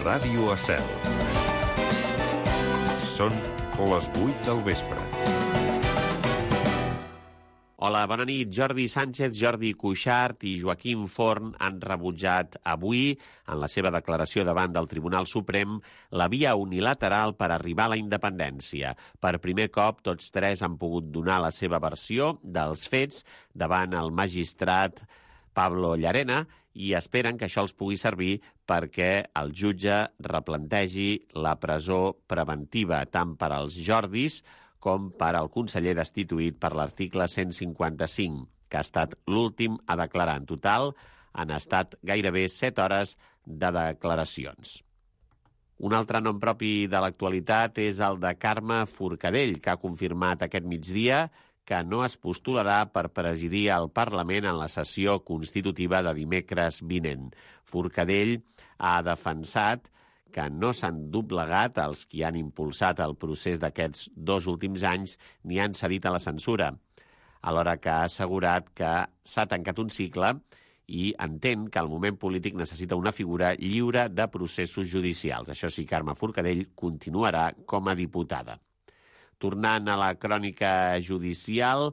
Ràdio Estel. Són les 8 del vespre. Hola, bona nit. Jordi Sánchez, Jordi Cuixart i Joaquim Forn han rebutjat avui, en la seva declaració davant del Tribunal Suprem, la via unilateral per arribar a la independència. Per primer cop, tots tres han pogut donar la seva versió dels fets davant el magistrat Pablo Llarena i esperen que això els pugui servir perquè el jutge replantegi la presó preventiva tant per als Jordis com per al conseller destituït per l'article 155, que ha estat l'últim a declarar. En total, han estat gairebé 7 hores de declaracions. Un altre nom propi de l'actualitat és el de Carme Forcadell, que ha confirmat aquest migdia que no es postularà per presidir el Parlament en la sessió constitutiva de dimecres vinent. Forcadell ha defensat que no s'han doblegat els qui han impulsat el procés d'aquests 2 últims anys ni han cedit a la censura, alhora que ha assegurat que s'ha tancat un cicle i entén que el moment polític necessita una figura lliure de processos judicials. Això sí, Carme Forcadell continuarà com a diputada. Tornant a la crònica judicial,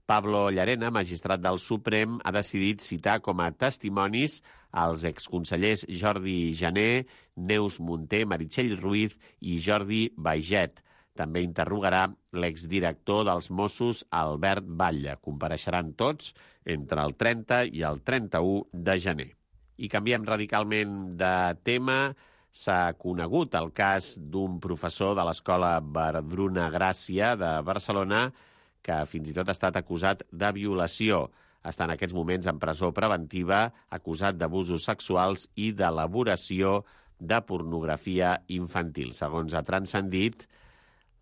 Pablo Llarena, magistrat del Suprem, ha decidit citar com a testimonis els exconsellers Jordi Jané, Neus Munté, Meritxell Ruiz i Jordi Baiget. També interrogarà l'exdirector dels Mossos, Albert Batlle. Compareixeran tots entre el 30 i el 31 de gener. I canviem radicalment de tema. S'ha conegut el cas d'un professor de l'Escola Verdruna Gràcia de Barcelona que fins i tot ha estat acusat de violació. Està en aquests moments en presó preventiva, acusat d'abusos sexuals i d'elaboració de pornografia infantil. Segons ha transcendit,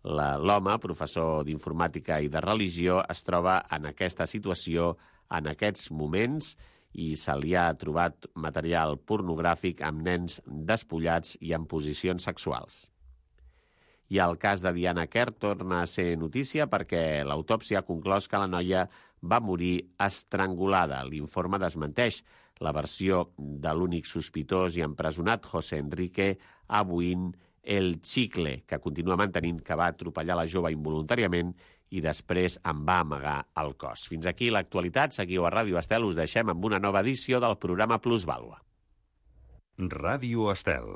l'home, professor d'informàtica i de religió, es troba en aquesta situació en aquests moments i se li ha trobat material pornogràfic amb nens despullats i en posicions sexuals. I el cas de Diana Kerr torna a ser notícia perquè l'autòpsia ha conclòs que la noia va morir estrangulada. L'informe desmenteix la versió de l'únic sospitós i empresonat, José Enrique Abuin El Chicle, que continua mantenint que va atropellar la jove involuntàriament i després en va amagar el cos. Fins aquí l'actualitat. Seguiu a Ràdio Estel. Us deixem amb una nova edició del programa Plusvàlua. Ràdio Estel.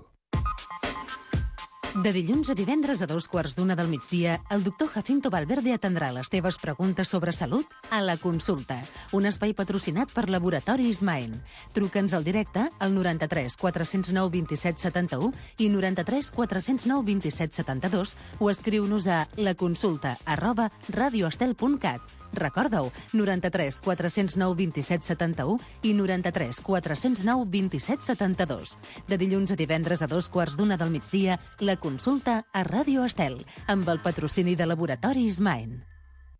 De dilluns a divendres a 2:15 del migdia, el doctor Jacinto Valverde atendrà les teves preguntes sobre salut a La Consulta, un espai patrocinat per Laboratoris Maen. Truca'ns al directe al 93 409 27 71 i 93 409 27 72 o escriu-nos a laconsulta@radioestel.cat. Recorda-ho, 93 409 27 71 i 93 409 27 72. De dilluns a divendres a 2:15 del migdia, La Consulta a Ràdio Estel, amb el patrocini de Laboratoris Maen.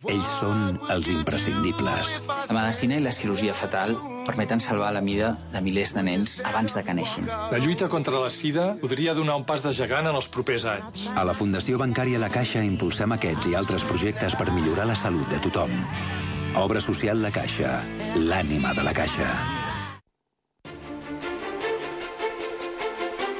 Ells són els imprescindibles. La medicina i la cirurgia fetal permeten salvar la vida de milers de nens abans de que neixin. La lluita contra la sida podria donar un pas de gegant en els propers anys. A la Fundació Bancària La Caixa impulsem aquests i altres projectes per millorar la salut de tothom. Obra social La Caixa, l'ànima de la Caixa.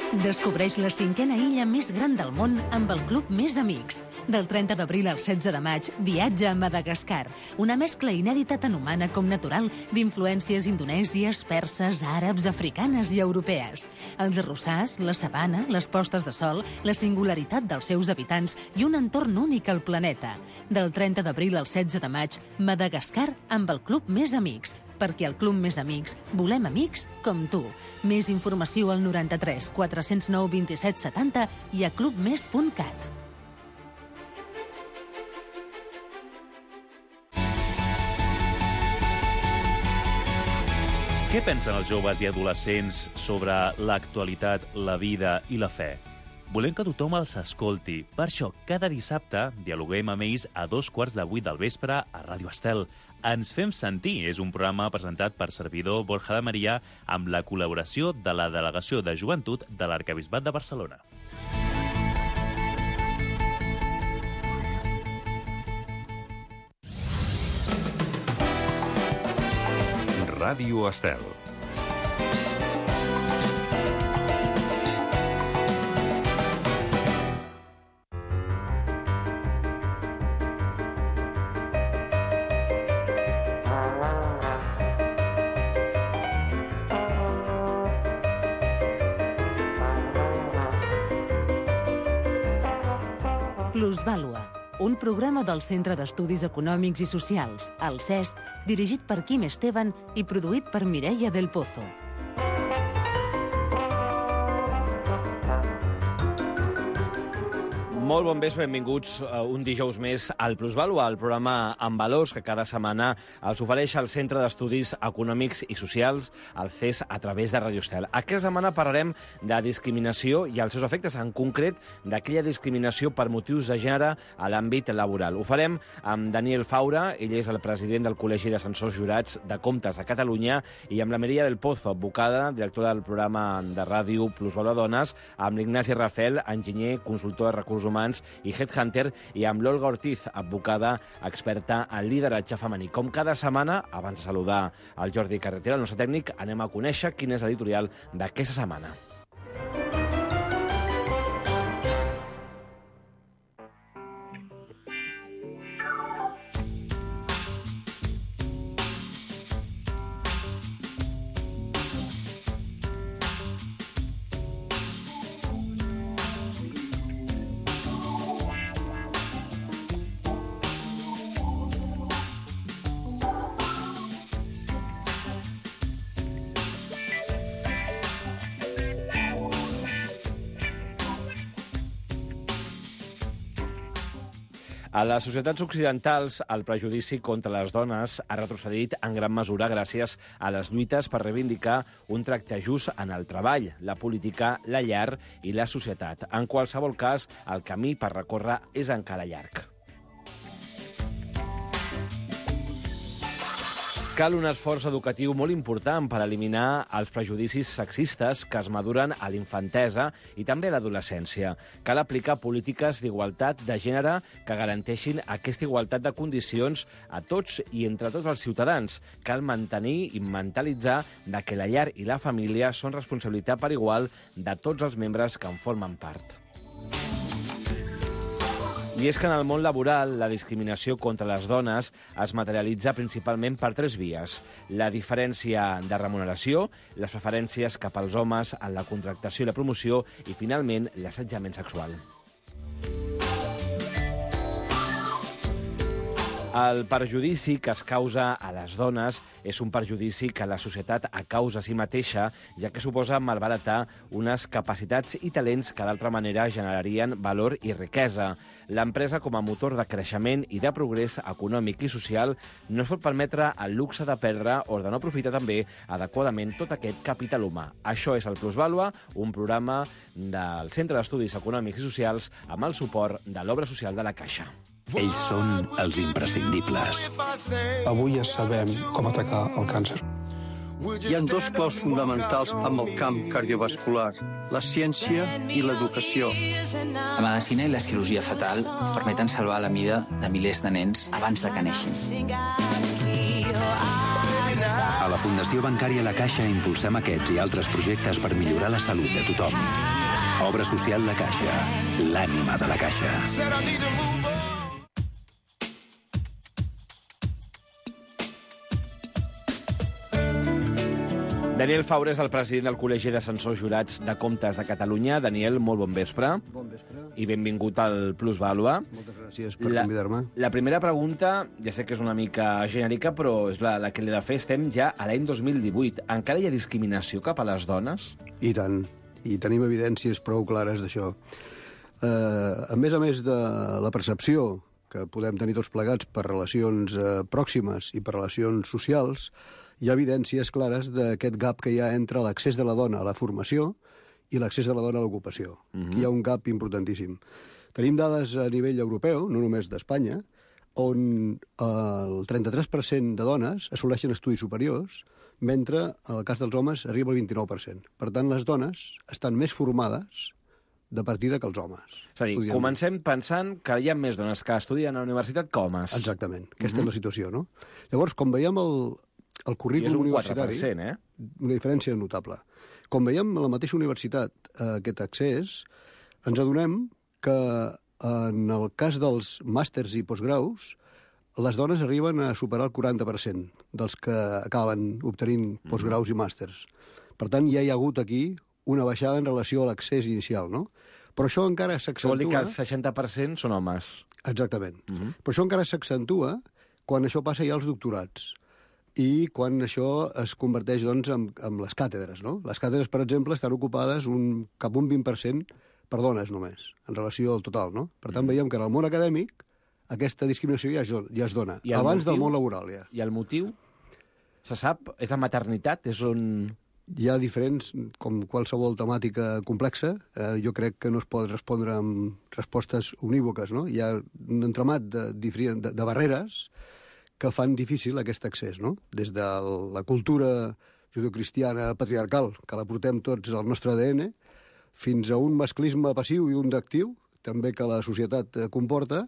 Descobreix la 5a illa més gran del món amb el Club Més Amics. Del 30 d'abril al 16 de maig, viatja a Madagascar, una mescla inèdita tant humana com natural d'influències indonèsies, perses, àrabs, africanes i europees. Els arrossars, la sabana, les postes de sol, la singularitat dels seus habitants i un entorn únic al planeta. Del 30 d'abril al 16 de maig, Madagascar amb el Club Més Amics, perquè al Club Més Amics volem amics com tu. Més informació al 93 409 27 70 i a clubmes.cat. Què pensen els joves i adolescents sobre l'actualitat, la vida i la fe? Volem que tothom els escolti. Per això, cada dissabte dialoguem amb ells a 7:15 del vespre a Ràdio Estel. Ens fem sentir és un programa presentat per servidor Borja de Maria amb la col·laboració de la Delegació de Joventut de l'Arquebisbat de Barcelona. Ràdio Estel. Plusvàlua, un programa del Centre d'Estudis Econòmics i Socials, el CES, dirigit per Quim Esteban i produït per Mireia del Pozo. Molt bon vespre, benvinguts un dijous més al Plusvàlua, el programa amb valors que cada setmana els ofereix el Centre d'Estudis Econòmics i Socials, el CES, a través de Radio Estel. Aquesta setmana parlarem de discriminació i els seus efectes, en concret d'aquella discriminació per motius de gènere a l'àmbit laboral. Ho farem amb Daniel Faura, ell és el president del Col·legi d'Ascensors Jurats de Comptes de Catalunya, i amb la Mireia del Pozo, advocada, directora del programa de ràdio Plusvàlua Dones, amb l'Ignasi Rafel, enginyer, consultor de recursos humans i headhunter, i amb l'Olga Ortiz, advocada, experta en lideratge femení. Com cada setmana, abans de saludar el Jordi Carretera, el nostre tècnic, anem a conèixer quin és l'editorial d'aquesta setmana. A les societats occidentals, el prejudici contra les dones ha retrocedit en gran mesura gràcies a les lluites per reivindicar un tracte just en el treball, la política, la llar i la societat. En qualsevol cas, el camí per recórrer és encara llarg. Cal un esforç educatiu molt important per eliminar els prejudicis sexistes que es maduren a l'infantesa i també a l'adolescència. Cal aplicar polítiques d'igualtat de gènere que garanteixin aquesta igualtat de condicions a tots i entre tots els ciutadans. Cal mantenir i mentalitzar que la llar i la família són responsabilitat per igual de tots els membres que en formen part. I és que en el món laboral la discriminació contra les dones es materialitza principalment per tres vies: la diferència de remuneració, les preferències cap als homes en la contractació i la promoció i, finalment, l'assetjament sexual. El perjudici que es causa a les dones és un perjudici que la societat a causa a si mateixa, ja que suposa malbaratar unes capacitats i talents que d'altra manera generarien valor i riquesa. L'empresa, com a motor de creixement i de progrés econòmic i social, no es pot permetre el luxe de perdre o de no aprofitar també adequadament tot aquest capital humà. Això és el Plusvàlua, un programa del Centre d'Estudis Econòmics i Socials amb el suport de l'Obra Social de la Caixa. Ells són els imprescindibles. Avui ja sabem com atacar el càncer. Hi ha dos claus fonamentals amb el camp cardiovascular: la ciència i l'educació. La medicina i la cirurgia fetal permeten salvar la vida de milers de nens abans de que neixin. A la Fundació Bancària La Caixa impulsem aquests i altres projectes per millorar la salut de tothom. Obra social La Caixa, l'ànima de la Caixa. Daniel Faura és el president del Col·legi d'Ascensors Jurats de Comptes de Catalunya. Daniel, molt bon vespre. Bon vespre. I benvingut al Plusvàlua. Moltes gràcies per convidar-me. La primera pregunta, ja sé que és una mica genèrica, però és la que l'he de fer. Estem ja a l'any 2018. Encara hi ha discriminació cap a les dones? I tant. I tenim evidències prou clares d'això. A més de la percepció que podem tenir tots plegats per relacions pròximes i per relacions socials, hi ha evidències clares d'aquest gap que hi ha entre l'accés de la dona a la formació i l'accés de la dona a l'ocupació. Aquí hi ha un gap importantíssim. Tenim dades a nivell europeu, no només d'Espanya, on el 33% de dones assoleixen estudis superiors, mentre en el cas dels homes arriba al 29%. Per tant, les dones estan més formades de partida que els homes. És a dir, comencem pensant que hi ha més dones que estudien a la universitat que homes. Exactament. Aquesta és la situació, no? Llavors, com veiem el currículum universitari... És un 4%, Una diferència notable. Com veiem a la mateixa universitat aquest accés, ens adonem que en el cas dels màsters i postgraus, les dones arriben a superar el 40% dels que acaben obtenint postgraus i màsters. Per tant, ja hi ha hagut aquí una baixada en relació a l'accés inicial, no? Però això encara s'accentua... Vol dir que el 60% són homes. Exactament. Però això encara s'accentua quan això passa ja als doctorats i quan això es converteix doncs, en les càtedres. No? Les càtedres, per exemple, estan ocupades cap un 20% per dones només, en relació al total. No? Per tant, veiem que en el món acadèmic aquesta discriminació ja es dona, abans del món laboral. Ja. I el motiu? Se sap? És la maternitat? És on... Hi ha diferents, com qualsevol temàtica complexa. Jo crec que no es pot respondre amb respostes unívoques. No? Hi ha un entramat de barreres que fan difícil aquest accés. No? Des de la cultura judeocristiana patriarcal, que la portem tots al nostre ADN, fins a un masclisme passiu i un d'actiu, també que la societat comporta,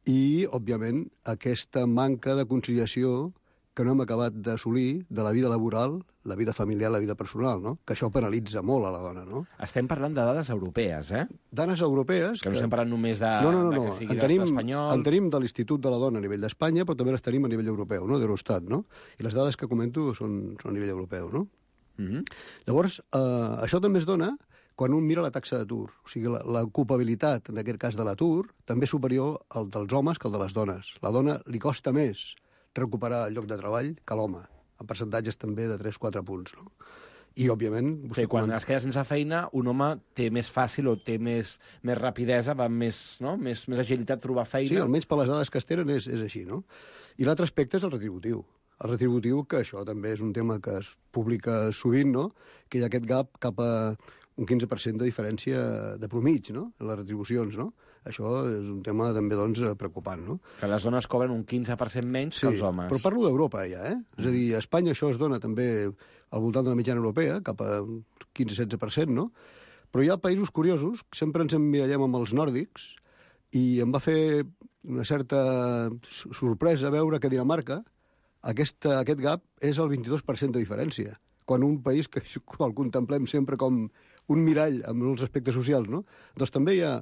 i, òbviament, aquesta manca de conciliació que no hem acabat d'assolir de la vida laboral, la vida familiar, la vida personal, no? Que això penalitza molt a la dona, no? Estem parlant de dades europees, eh? Dades europees... Que no estem parlant només de... No. Que sigui l'estat espanyol... En tenim de l'Institut de la Dona a nivell d'Espanya, però també les tenim a nivell europeu, no? D'Eurostat, no? I les dades que comento són a nivell europeu, no? Llavors, això també es dona quan un mira la taxa d'atur. O sigui, l'ocupabilitat, en aquest cas de l'atur, també és superior al dels homes que al de les dones. La dona li costa més recuperar el lloc de treball que l'home, en percentatges també de 3-4 punts. No? I, òbviament... Quan es queda sense feina, un home té més fàcil o té més rapidesa, va amb més agilitat trobar feina. Sí, almenys per les dades que es tenen és així. No? I l'altre aspecte és el retributiu. El retributiu, que això també és un tema que es publica sovint, no? Que hi ha aquest gap cap a un 15% de diferència de promig, no? En les retribucions, no? Això és un tema també, doncs, preocupant, no? Que les dones cobren un 15% menys que els homes. Però parlo d'Europa, ja, eh? És a dir, a Espanya això es dona també al voltant de la mitjana europea, cap a 15-16%, no? Però hi ha països curiosos, sempre ens emmirallem amb els nòrdics, i em va fer una certa sorpresa veure que a Dinamarca aquest gap és el 22% de diferència, quan un país que el contemplem sempre com un mirall amb els aspectes socials, no? Doncs també hi ha,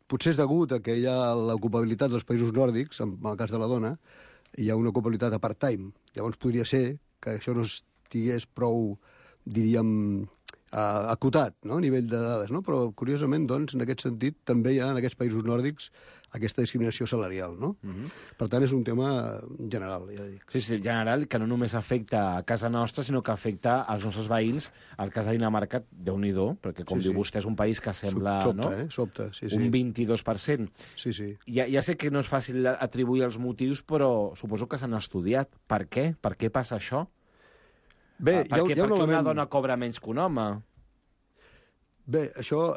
potser és degut a que hi ha l'ocupabilitat dels països nòrdics, en el cas de la dona, hi ha una ocupabilitat a part-time. Llavors podria ser que això no estigués prou, diríem, acotat, no? A nivell de dades, no? Però, curiosament, doncs, en aquest sentit, també hi ha en aquests països nòrdics aquesta discriminació salarial, no? Per tant, és un tema general, ja dic. Sí, general, que no només afecta a casa nostra, sinó que afecta als nostres veïns. El cas de Dinamarca, Déu-n'hi-do, perquè, com diu vostè, és un país que sembla... Sobta, sí. Un 22%. Sí. Ja sé que no és fàcil atribuir els motius, però suposo que s'han estudiat. Per què? Per què passa això? Bé, per què una dona cobra menys que un home? Bé, això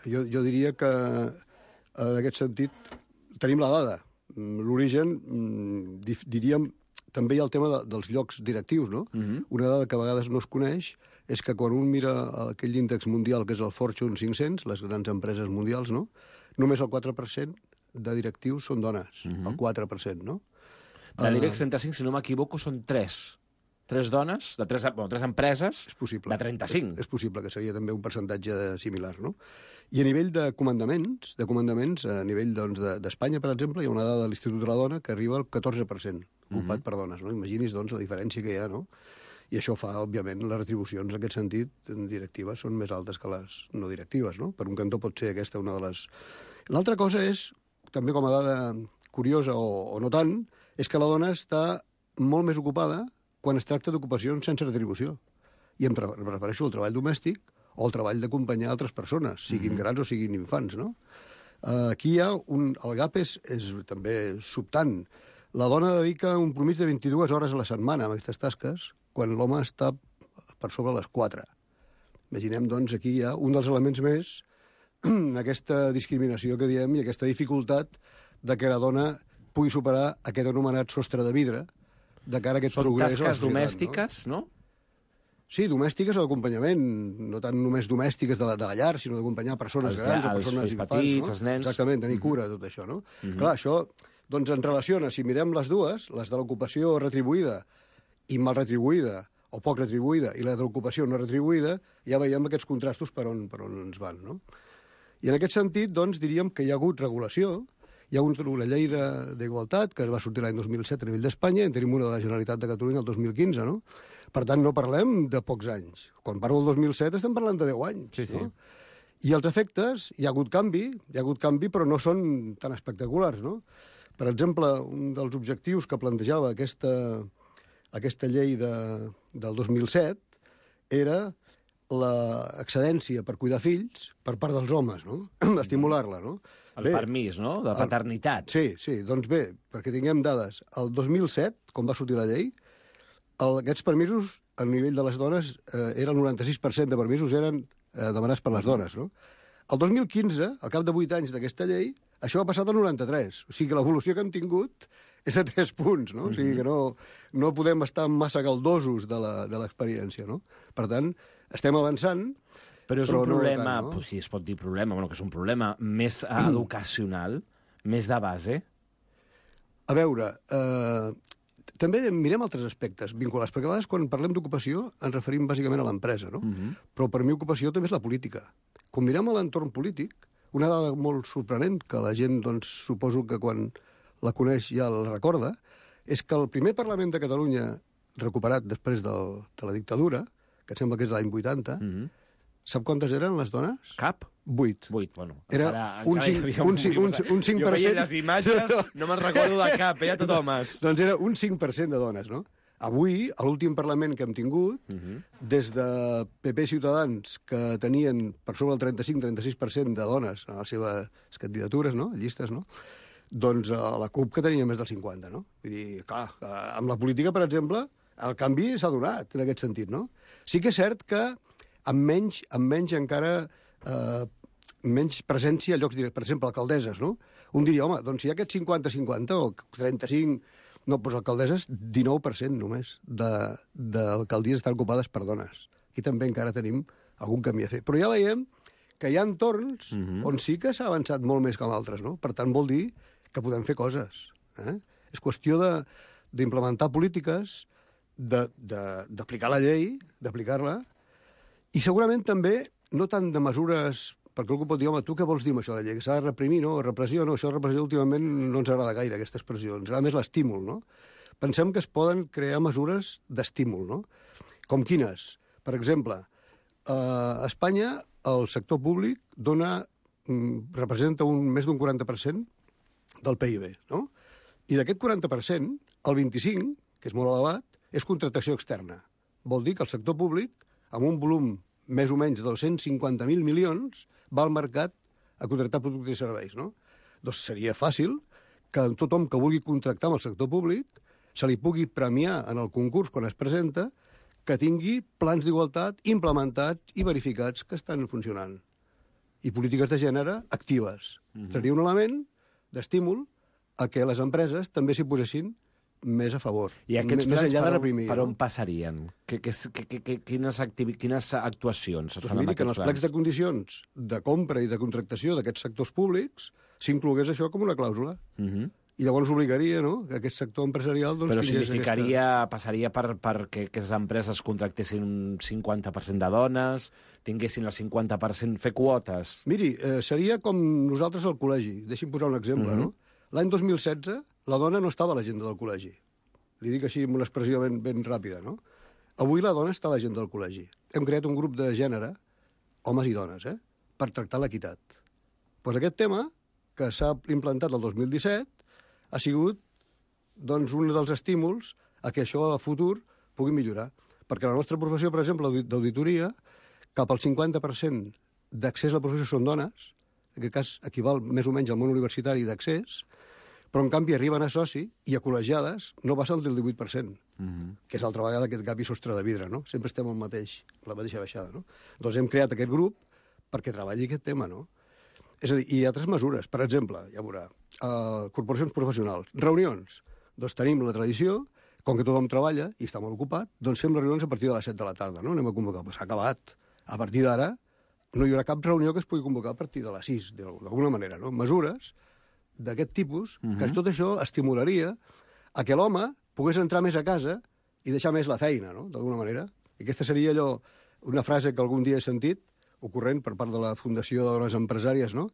jo diria que en aquest sentit tenim la dada. L'origen, diríem, també hi ha el tema dels llocs directius, no? Una dada que a vegades no es coneix és que quan un mira aquell índex mundial que és el Fortune 500, les grans empreses mundials, no? Només el 4% de directius són dones, el 4%, no? De l'IBEX 35, si no m'equivoco, són 3 dones, de 3 empreses, és possible, de 35. És possible, que seria també un percentatge similar, no? I a nivell de comandaments, a nivell d'Espanya, per exemple, hi ha una dada de l'Institut de la Dona que arriba al 14% ocupat per dones, no? Imagini's, doncs, la diferència que hi ha, no? I això fa, òbviament, les retribucions, en aquest sentit, directives, són més altes que les no directives, no? Per un cantó pot ser aquesta una de les... L'altra cosa és, també com a dada curiosa o no tant, és que la dona està molt més ocupada quan es tracta d'ocupacions sense retribució. I em refereixo al treball domèstic o al treball d'acompanyar altres persones, siguin grans o siguin infants, no? Aquí hi ha el gap és també sobtant. La dona dedica un promís de 22 hores a la setmana a aquestes tasques, quan l'home està per sobre les 4. Imaginem, doncs, aquí hi ha un dels elements més aquesta discriminació que diem i aquesta dificultat de que la dona pugui superar aquest anomenat sostre de vidre de cara a aquest progrés a la societat. Són tasques domèstiques, no? Sí, domèstiques o d'acompanyament, no tant només domèstiques de la llar, sinó d'acompanyar persones grans o persones infants, petits, no? Els nens. Exactament, tenir cura de tot això, no? Clar, això, doncs, en relaciona, si mirem les dues, les de l'ocupació retribuïda i mal retribuïda, o poc retribuïda, i la de l'ocupació no retribuïda, ja veiem aquests contrastos per on ens van, no? I en aquest sentit, doncs, diríem que hi ha hagut regulació. Hi ha hagut una llei d'igualtat que va sortir l'any 2007 a nivell d'Espanya, en tenim una de la Generalitat de Catalunya el 2015, no? Per tant, no parlem de pocs anys. Quan parlo del 2007 estem parlant de 10 anys, no? I els efectes, hi ha hagut canvi, però no són tan espectaculars, no? Per exemple, un dels objectius que plantejava aquesta llei del 2007 era l'excedència per cuidar fills per part dels homes, no? Estimular-la, no? El permís, no?, de paternitat. Sí, doncs bé, perquè tinguem dades. El 2007, quan va sortir la llei, aquests permisos, a nivell de les dones, era el 96% de permisos eren demanats per les dones, no? El 2015, al cap de 8 anys d'aquesta llei, això ha passat al 93. O sigui que l'evolució que hem tingut és de 3 punts, no? O sigui que no podem estar massa galdosos de l'experiència, no? Per tant, estem avançant, però és un problema, no tant, no? Si es pot dir problema, bueno, que és un problema més educacional, més de base. A veure, també mirem altres aspectes vinculats, perquè a vegades quan parlem d'ocupació ens referim bàsicament a l'empresa, no? Però per mi ocupació també és la política. Quan mirem a l'entorn polític, una dada molt sorprenent, que la gent, doncs, suposo que quan la coneix ja la recorda, és que el primer Parlament de Catalunya, recuperat després de la dictadura, que em sembla que és de l'any 80, sap quantes eren les dones? Cap? 8. 8, bueno. Era un 5%... Jo veia les imatges, no me'n recordo de cap, ja tot homes. Doncs era un 5% de dones, no? Avui, a l'últim Parlament que hem tingut, des de PP i Ciutadans, que tenien per sobre el 35-36% de dones a les seves candidatures, no?, llistes, no?, doncs la CUP que tenia més del 50%, no? Vull dir, clar, amb la política, per exemple, el canvi s'ha donat en aquest sentit, no? Sí que és cert que amb menys encara menys presència a llocs directes. Per exemple, alcaldesses, no? Un diria, home, doncs si hi ha aquest 50-50 o 35... No, doncs alcaldesses, 19% només d'alcaldies estan ocupades per dones. Aquí també encara tenim algun camí a fer. Però ja veiem que hi ha entorns on sí que s'ha avançat molt més que en altres, no? Per tant, vol dir que podem fer coses. És qüestió d'implementar polítiques, d'aplicar la llei, d'aplicar-la, i segurament també no tant de mesures... Perquè algú pot dir, home, tu què vols dir amb això de llei? Que s'ha de reprimir, no? Repressió, no? Això de repressió últimament no ens agrada gaire, aquesta expressió. Ens agrada més l'estímul, no? Pensem que es poden crear mesures d'estímul, no? Com quines? Per exemple, a Espanya el sector públic representa més d'un 40% del PIB, no? I d'aquest 40%, el 25%, que és molt elevat, és contractació externa. Vol dir que el sector públic, amb un volum més o menys de 250.000 milions, va al mercat a contractar productes i serveis, no? Doncs seria fàcil que tothom que vulgui contractar amb el sector públic se li pugui premiar en el concurs quan es presenta que tingui plans d'igualtat implementats i verificats que estan funcionant. I polítiques de gènere actives. Seria un element d'estímul a que les empreses també s'hi posessin més a favor. I aquests més plans enllà de reprimir, per on passarien? Quines actuacions es doncs fan amb miri, que en aquests els plecs de plans? condicions de compra i de contractació d'aquests sectors públics s'inclogués això com una clàusula. I llavors obligaria, no?, que aquest sector empresarial... Doncs, però passaria perquè aquestes empreses contractessin un 50% de dones, tinguessin el 50%, fer quotes... Miri, seria com nosaltres al col·legi. Deixi'm posar un exemple, no? L'any 2016, la dona no estava a l'agenda del col·legi. Li dic així amb una expressió ben ràpida, no? Avui la dona està a l'agenda del col·legi. Hem creat un grup de gènere, homes i dones, per tractar l'equitat. Doncs aquest tema, que s'ha implantat el 2017, ha sigut doncs, un dels estímuls a que això a futur pugui millorar. Perquè la nostra professió, per exemple, d'auditoria, cap al 50% d'accés a la professió són dones, en aquest cas equival més o menys al món universitari d'accés, però en canvi arriben a soci i a col·legiades no passen del 18%, que és altra vegada aquest gap i sostre de vidre, no? Sempre estem la mateixa baixada, no? Doncs hem creat aquest grup perquè treballi aquest tema, no? És a dir, i altres mesures. Per exemple, ja veurà, corporacions professionals, reunions. Doncs tenim la tradició, com que tothom treballa i està molt ocupat, doncs fem les reunions a partir de les 7 de la tarda, no? Anem a convocar. Doncs s'ha acabat. A partir d'ara no hi haurà cap reunió que es pugui convocar a partir de les 6, d'alguna manera, no? Mesures d'aquest tipus, que tot això estimularia a que l'home pogués entrar més a casa i deixar més la feina, no?, d'alguna manera. I aquesta seria allò, una frase que algun dia he sentit, ocorrent per part de la Fundació de Dones Empresàries, no?,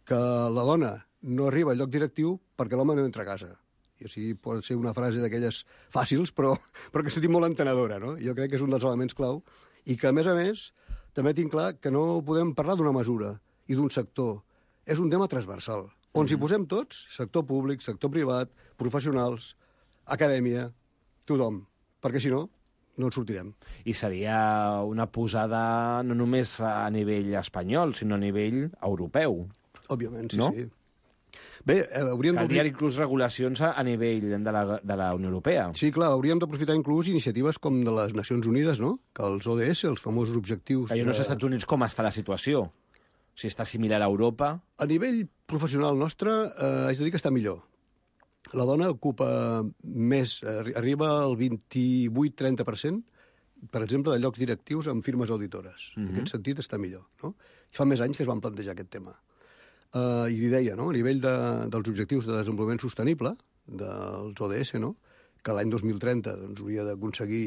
que la dona no arriba al lloc directiu perquè l'home no entra a casa. I o sigui, pot ser una frase d'aquelles fàcils, però que s'ha dit molt entenedora, no? Jo crec que és un dels elements clau i que, a més, també tinc clar que no podem parlar d'una mesura i d'un sector. És un tema transversal, on s'hi posem tots, sector públic, sector privat, professionals, acadèmia, tothom, perquè si no, no en sortirem. I seria una posada no només a nivell espanyol, sinó a nivell europeu. Òbviament, sí, no? sí. Bé, hauríem caldria inclús regulacions a nivell de la Unió Europea. Sí, clar, hauríem d'aprofitar inclús iniciatives com de les Nacions Unides, no? Que els ODS, els famosos objectius... Que jo no sé als Estats Units com està la situació. Si està similar a Europa... A nivell professional nostre, haig de dir que està millor. La dona ocupa més, arriba al 28-30%, per exemple, de llocs directius en firmes auditores. En aquest sentit està millor, no? Fa més anys que es van plantejar aquest tema. I li deia, no? A nivell dels objectius de desenvolupament sostenible, dels ODS, no? Que l'any 2030 doncs, hauria d'aconseguir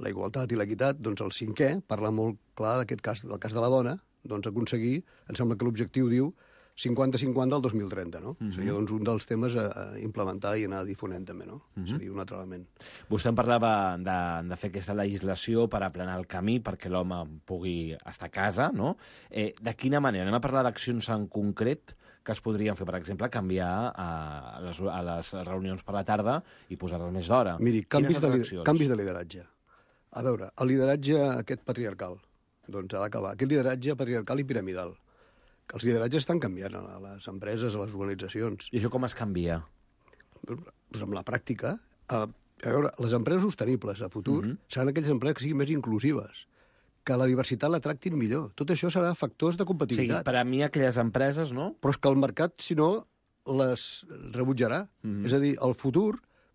la igualtat i l'equitat, doncs el 5è parla molt clar d'aquest cas, del cas de la dona, doncs aconseguir, em sembla que l'objectiu diu 50-50 al 2030, no? Seria doncs, un dels temes a implementar i anar difonent també, no? Seria un altre element. Vostè em parlava de fer aquesta legislació per aplanar el camí perquè l'home pugui estar a casa, no? De quina manera? Anem a parlar d'accions en concret que es podrien fer, per exemple, canviar a les reunions per la tarda i posar-les més d'hora. Miri, canvis de lideratge. A veure, el lideratge aquest patriarcal, doncs ha d'acabar. Aquest lideratge patriarcal i piramidal. Els lideratges estan canviant a les empreses, a les organitzacions. I això com es canvia? Doncs amb la pràctica. A veure, les empreses sostenibles a futur seran aquelles empreses que siguin més inclusives, que la diversitat la tractin millor. Tot això serà factors de competitivitat. Sí, per a mi aquelles empreses, no? Però és que el mercat, si no, les rebutjarà. És a dir, el futur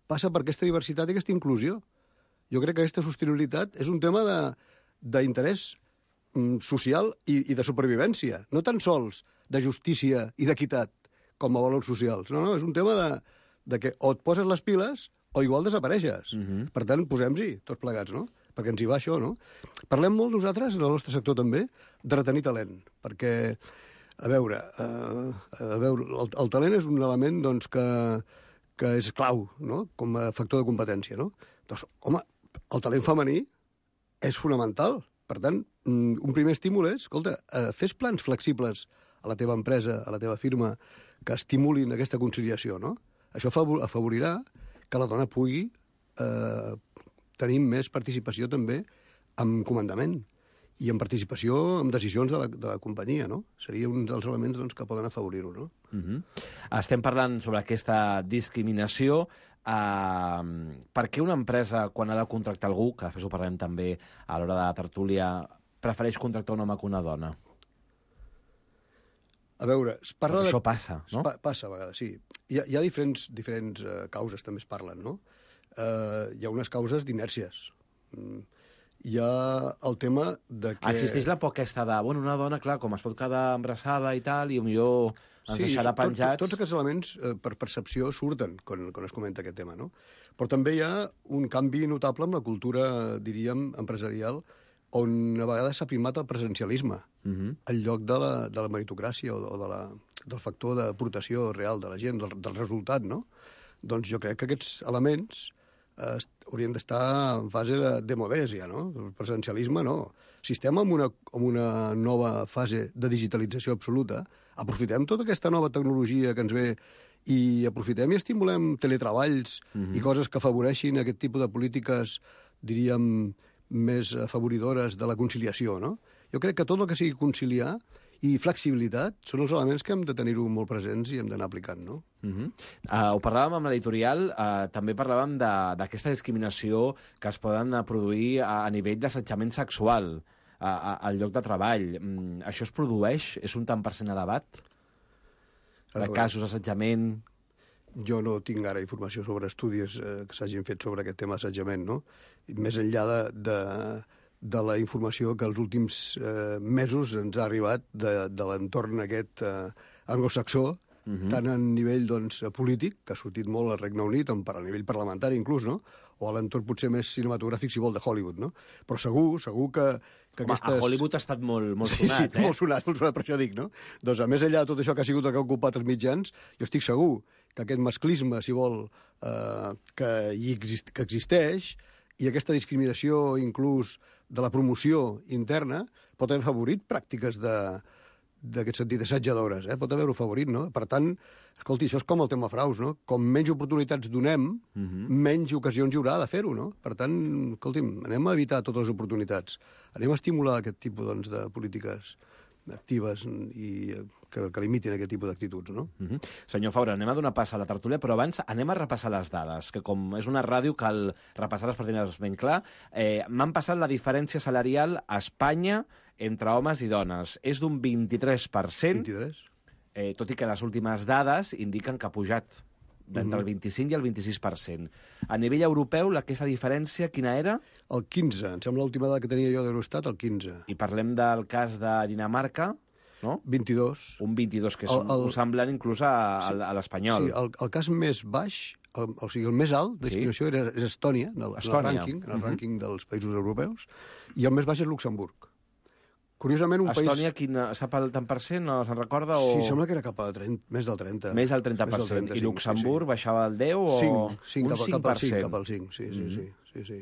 passa per aquesta diversitat i aquesta inclusió. Jo crec que aquesta sostenibilitat és un tema d'interès social i de supervivència, no tan sols de justícia i d'equitat com a valors socials. No, és un tema de que o et poses les piles o igual desapareixes. Per tant, posem-s'hi tots plegats, no? Perquè ens hi va això, no? Parlem molt nosaltres, en el nostre sector també, de retenir talent, perquè, a veure, el talent és un element doncs, que és clau, no? Com a factor de competència, no? Doncs, home, el talent femení és fonamental. Per tant, un primer estímul és, escolta, fes plans flexibles a la teva empresa, a la teva firma, que estimulin aquesta conciliació, no? Això afavorirà que la dona pugui tenir més participació també en comandament i en participació en decisions de la companyia, no? Seria un dels elements doncs, que poden afavorir-ho, no? Estem parlant sobre aquesta discriminació. Per què una empresa, quan ha de contractar algú, que després ho parlem també a l'hora de la tertúlia, prefereix contractar un home que una dona? A veure, es parla això passa, no? Passa a vegades, sí. Hi ha diferents causes, també es parlen, no? Hi ha unes causes d'inèrcies. Hi ha el tema de que... Existeix la por aquesta de, bueno, una dona, clar, com es pot quedar embarassada i tal, i millor ens deixarà penjats... Tots aquests elements, per percepció, surten quan es comenta aquest tema, no? Però també hi ha un canvi notable amb la cultura, diríem, empresarial, on a vegades s'ha primat el presencialisme, en lloc de la meritocràcia o del factor d'aportació real de la gent, del resultat, no? Doncs jo crec que aquests elements haurien d'estar en fase de modèsia, no? El presencialisme no. Si estem en una nova fase de digitalització absoluta, aprofitem tota aquesta nova tecnologia que ens ve i aprofitem i estimulem teletreballs i coses que afavoreixin aquest tipus de polítiques, diríem, més afavoridores de la conciliació, no? Jo crec que tot el que sigui conciliar i flexibilitat són els elements que hem de tenir-ho molt presents i hem d'anar aplicant, no? Ho parlàvem amb l'editorial, també parlàvem d'aquesta discriminació que es poden produir a nivell d'assetjament sexual al lloc de treball. Això es produeix? És un tant per cent elevat? De casos d'assetjament? Jo no tinc ara informació sobre estudis que s'hagin fet sobre aquest tema d'assetjament, no? Més enllà de la informació que els últims mesos ens ha arribat de l'entorn aquest anglosaxó, tant a nivell polític, que ha sortit molt al Regne Unit, per a nivell parlamentari inclús, no? O a l'entorn potser més cinematogràfic, si vol, de Hollywood, no? Però segur que aquestes... A Hollywood ha estat molt sonat, sí, molt sonat, per això dic, no? Doncs, a més enllà de tot això que ha sigut el que ha ocupat els mitjans, jo estic segur que aquest masclisme, si vol, que existeix, I aquesta discriminació, inclús de la promoció interna, pot haver favorit pràctiques d'aquest sentit, assetjadores, pot haver-ho favorit, no? Per tant, escolti, això és com el tema fraus, no? Com menys oportunitats donem, menys ocasions hi haurà de fer-ho, no? Per tant, escolti'm, anem a evitar totes les oportunitats. Anem a estimular aquest tipus, doncs, de polítiques actives i que limitin aquest tipus d'actituds, no? Senyor Faura, anem a donar pas a la tertúlia, però abans anem a repassar les dades, que com és una ràdio cal repassar-les per tenir-les ben clar. M'han passat la diferència salarial a Espanya entre homes i dones. És d'un 23%. 23? Tot i que les últimes dades indiquen que ha pujat d'entre el 25 i el 26%. A nivell europeu, aquesta diferència quina era? El 15. Em sembla l'última dada que tenia jo d'Eurostat, el 15. I parlem del cas de Dinamarca, no? 22. Un 22, que és semblant inclús a l'espanyol. Sí, el cas més baix, o sigui, el més alt de discriminació és Estònia, en el rànquing dels països europeus, i el més baix és Luxemburg. Curiosament, un Estònia, país... sap el tant per cent, no se'n recorda? O... Sí, sembla que era cap a més del 30. Més del 30%. I Luxemburg baixava al 10 o... 5, cap al 5, sí.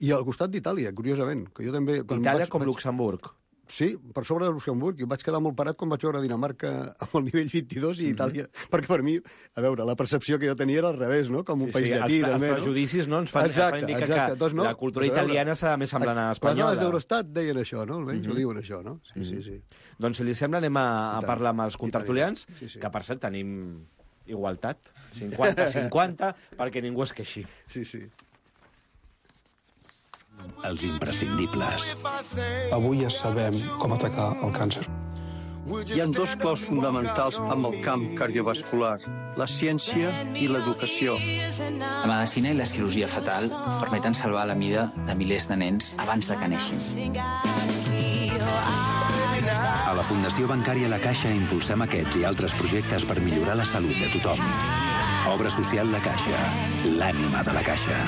I al costat d'Itàlia, curiosament. Que jo també, Itàlia com Luxemburg. Sí, per sobre de Luxemburg, i vaig quedar molt parat quan vaig veure Dinamarca amb el nivell 22 i Itàlia, perquè per mi, a veure, la percepció que jo tenia era al revés, no? Com un país llatí, també, no? Els prejudicis, no? Ens fan indicar que doncs, la cultura italiana serà més semblant a espanyola. Les dades d'Eurostat deien això, no? Almenys ho diuen això, no? Sí. Doncs, si li sembla, anem a parlar amb els contertulians, que, per cert, tenim igualtat, 50-50, perquè ningú es queixi. Sí. Els imprescindibles. Avui ja sabem com atacar el càncer. Hi ha dos claus fonamentals amb el camp cardiovascular, la ciència i l'educació. La medicina i la cirurgia fetal permeten salvar la vida de milers de nens abans de que neixin. A la Fundació Bancària La Caixa impulsem aquests i altres projectes per millorar la salut de tothom. Obra social La Caixa, l'ànima de la Caixa.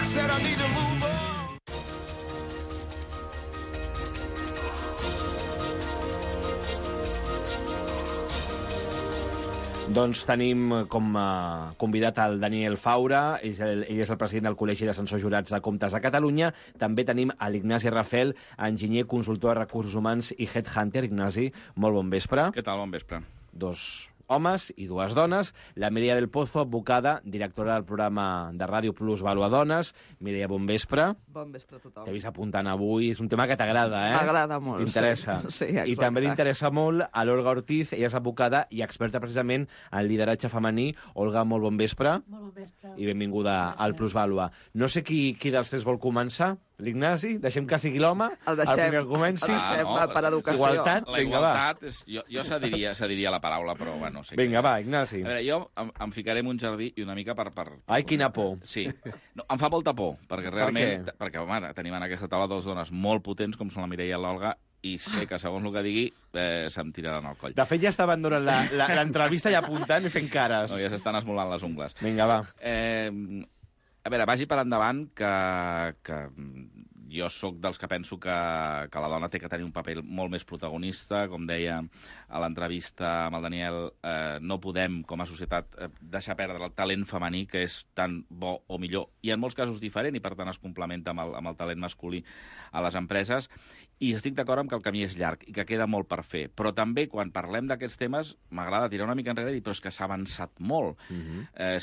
Doncs tenim com a convidat el Daniel Faura, ell és el president del Col·legi d'Ascensors Jurats de Comptes de Catalunya. També tenim l'Ignasi Rafel, enginyer, consultor de recursos humans i headhunter. Ignasi, molt bon vespre. Què tal, bon vespre. Dos homes i dues dones. La Mireia del Pozo, advocada, directora del programa de Ràdio Plus Valua Dones. Mireia, bon vespre. Bon vespre a tothom. T'he vist apuntant avui. És un tema que t'agrada, eh? M'agrada molt. T'interessa. Sí, exacte. I també li interessa molt a l'Olga Ortiz. Ella és advocada i experta precisament en lideratge femení. Olga, molt bon vespre. Molt bon vespre. I benvinguda al Plus Valua. No sé qui dels tres vol començar. L'Ignasi? Deixem que sigui l'home? El deixem. El comenci. El deixem per educació. Igualtat? La igualtat, jo cediria la paraula, però bueno... Sí. Vinga, va, Ignasi. A veure, jo em ficaré en un jardí i una mica per... Ai, quina por. Sí. No, em fa molta por, perquè realment... Perquè, home, tenim en aquesta taula dues dones molt potents, com són la Mireia i l'Olga, i sé que, segons el que digui, se'm tiraran al coll. De fet, ja estaven durant l'entrevista i apuntant i fent cares. No, ja s'estan esmolant les ungles. Vinga, va. A veure, vagi per endavant que jo sóc dels que penso que la dona té que tenir un paper molt més protagonista. Com deia a l'entrevista amb el Daniel, no podem, com a societat, deixar perdre el talent femení, que és tan bo o millor, i en molts casos diferent, i per tant es complementa amb el talent masculí a les empreses. I estic d'acord amb que el camí és llarg i que queda molt per fer. Però també, quan parlem d'aquests temes, m'agrada tirar una mica enrere i dir, però és que s'ha avançat molt.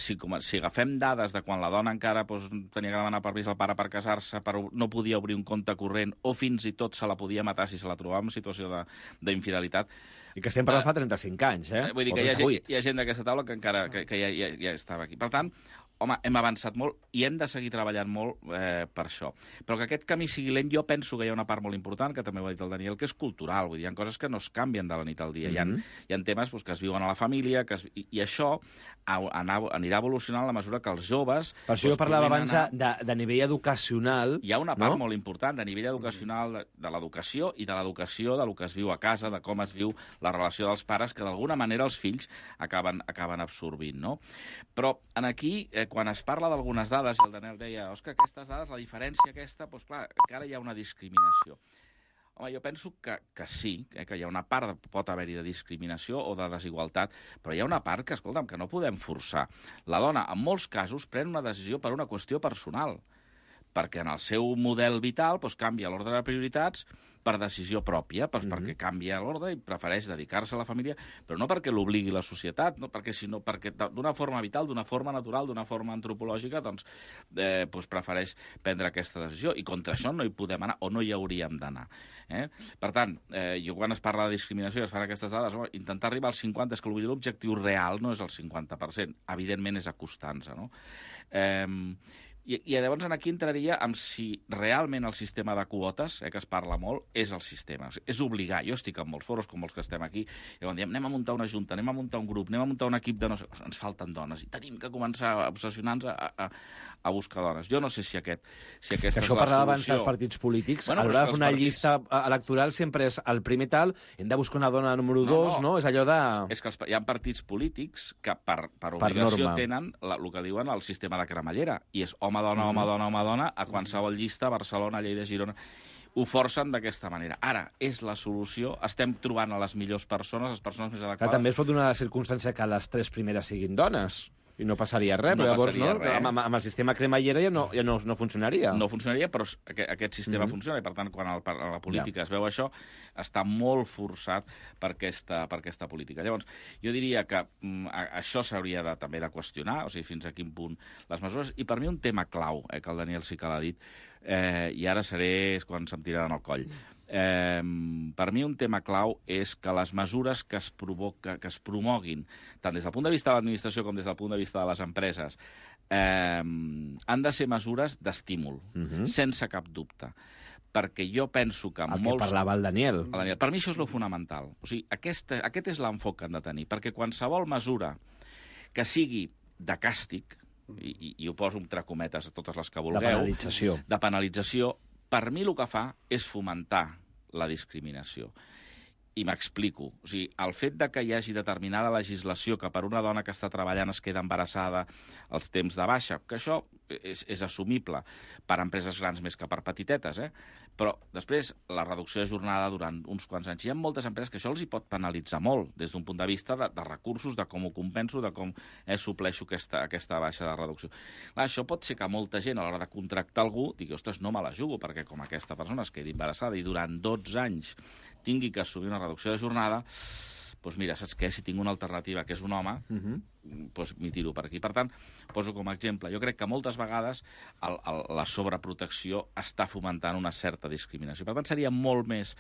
Si agafem dades de quan la dona encara tenia que demanar permís al pare per casar-se, no podia obrir un compte corrent, o fins i tot se la podia matar si se la trobava en situació d'infidelitat. I que estem parlant fa 35 anys, eh? Vull dir que hi ha gent d'aquesta taula que encara ja estava aquí. Per tant, home, hem avançat molt i hem de seguir treballant molt per això. Però que aquest camí sigui lent, jo penso que hi ha una part molt important, que també ho ha dit el Daniel, que és cultural. Vull dir, hi ha coses que no es canvien de la nit al dia. Hi ha temes que es viuen a la família, i això anirà evolucionant a la mesura que els joves... Per això jo parlava abans de nivell educacional. Hi ha una part molt important de nivell educacional de l'educació i de l'educació del que es viu a casa, de com es viu la relació dels pares, que d'alguna manera els fills acaben absorbint, no? Però aquí, quan es parla d'algunes dades, i el Daniel deia, Òscar, aquestes dades, la diferència aquesta, doncs clar, encara hi ha una discriminació. Home, jo penso que sí, que hi ha una part, pot haver-hi de discriminació o de desigualtat, però hi ha una part que, escolta'm, que no podem forçar. La dona, en molts casos, pren una decisió per una qüestió personal. perquè en el seu model vital canvia l'ordre de prioritats per decisió pròpia, perquè canvia l'ordre i prefereix dedicar-se a la família, però no perquè l'obligui la societat, sinó perquè d'una forma vital, d'una forma natural, d'una forma antropològica, prefereix prendre aquesta decisió. I contra això no hi podem anar, o no hi hauríem d'anar. Per tant, jo quan es parla de discriminació i es fan aquestes dades, intentar arribar al 50, és que l'objectiu real no és el 50%, evidentment és acostant-se, no? I llavors aquí entraria amb si realment el sistema de quotes, que es parla molt, és el sistema. És obligar. Jo estic en molts foros com els que estem aquí, i quan diem anem a muntar una junta, anem a muntar un grup, anem a muntar un equip de no sé... Ens falten dones, i tenim que començar a obsessionar-nos a buscar dones. Jo no sé si aquesta és la solució. Això parlava abans dels partits polítics. A l'hora de fer una llista electoral sempre és el primer tal, hem de buscar una dona número 2, no? És allò de... És que hi ha partits polítics que per obligació tenen el que diuen el sistema de cremallera, i és home-dona, home-dona, a qualsevol llista, Barcelona, Lleida, Girona... Ho forcen d'aquesta manera. Ara, és la solució? Estem trobant a les millors persones, les persones més adequades? Que també es pot donar la circumstància que les 3 primeres siguin dones. I no passaria res, però llavors amb el sistema cremallera ja no funcionaria. No funcionaria, però aquest sistema funciona, i per tant, quan a la política es veu això, està molt forçat per aquesta política. Llavors, jo diria que això s'hauria també de qüestionar, o sigui, fins a quin punt les mesures, i per mi un tema clau, que el Daniel sí que l'ha dit, i ara seré quan se'm tiraran al coll. Per mi un tema clau és que les mesures que es promoguin, tant des del punt de vista de l'administració com des del punt de vista de les empreses, han de ser mesures d'estímul, sense cap dubte. Perquè jo penso que el que parlava el Daniel. Per mi això és lo fonamental. O sigui, aquest és l'enfoc que han de tenir, perquè qualsevol mesura que sigui de càstig, i ho poso entre cometes a totes les que vulgueu, de penalització, per mi el que fa és fomentar la discriminació. I m'explico. O sigui, el fet de que hi hagi determinada legislació que per una dona que està treballant es queda embarassada els temps de baixa, que això és assumible per empreses grans més que per petitetes, però després la reducció de jornada durant uns quants anys. Hi ha moltes empreses que això els hi pot penalitzar molt, des d'un punt de vista de recursos, de com ho compenso, de com supleixo aquesta baixa de reducció. Clar, això pot ser que molta gent, a l'hora de contractar algú, digui, ostres, no me la jugo, perquè com aquesta persona es quedi embarassada i durant 12 anys tingui que assumir una reducció de jornada, doncs mira, saps què? Si tinc una alternativa que és un home, doncs m'hi tiro per aquí. Per tant, poso com a exemple, jo crec que moltes vegades la sobreprotecció està fomentant una certa discriminació. Per tant, seria molt més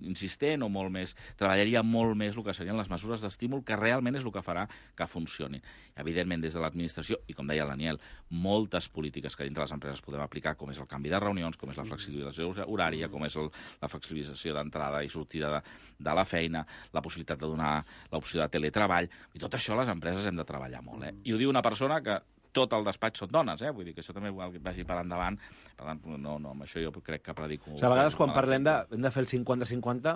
insistent o molt més... Treballaria molt més el que serien les mesures d'estímul, que realment és el que farà que funcionin. Evidentment, des de l'administració, i com deia el Daniel, moltes polítiques que dintre les empreses podem aplicar, com és el canvi de reunions, com és la flexibilització horària, com és la flexibilització d'entrada i sortida de la feina, la possibilitat de donar l'opció de teletreball, i tot això les empreses hem de treballar molt. I ho diu una persona que tot el despatx són dones, vull dir que això també vagi per endavant. Per tant, no, amb això jo crec que predico... A vegades quan parlem hem de fer el 50-50,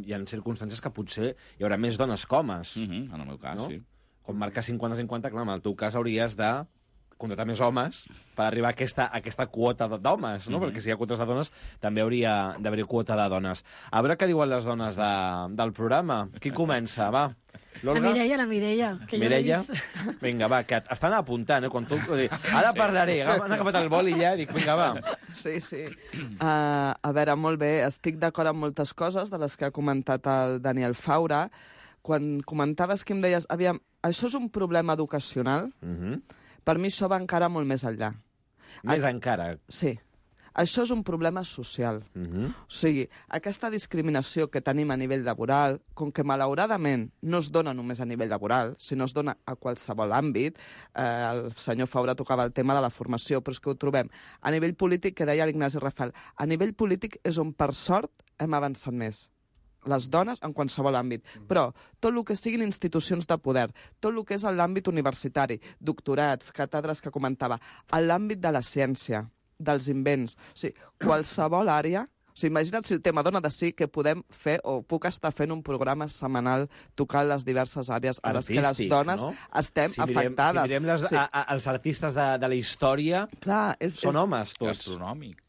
hi ha circumstàncies que potser hi haurà més dones que homes. En el meu cas, sí. Quan marques 50-50, clar, en el teu cas hauries de contractar més homes per arribar a aquesta quota d'homes, no? Perquè si hi ha quotes de dones, també hauria d'haver quota de dones. A veure què diuen les dones del programa. Qui comença? Va. La Mireia. Que Mireia? Vinga, va, que estan apuntant, quan tu... Ara parlaré, han agafat el boli ja, dic, vinga, va. Sí. A veure, molt bé, estic d'acord amb moltes coses de les que ha comentat el Daniel Faura. Quan comentaves que em deies, aviam, això és un problema educacional, per mi això va encara molt més enllà. Més encara? Sí. Això és un problema social. O sigui, aquesta discriminació que tenim a nivell laboral, com que malauradament no es dona només a nivell laboral, sinó es dona a qualsevol àmbit, el senyor Faura tocava el tema de la formació, però és que ho trobem a nivell polític, que deia l'Ignasi Rafal, a nivell polític és on, per sort, hem avançat més. Les dones en qualsevol àmbit, però tot el que siguin institucions de poder, tot el que és l'àmbit universitari, doctorats, càtedres que comentava, en l'àmbit de la ciència, dels invents, o sigui, qualsevol àrea... O sigui, imagina't si el tema dona de sí que podem fer, o puc estar fent un programa setmanal tocant les diverses àrees a les que les dones estem afectades. Si mirem els artistes de la història, són homes tots.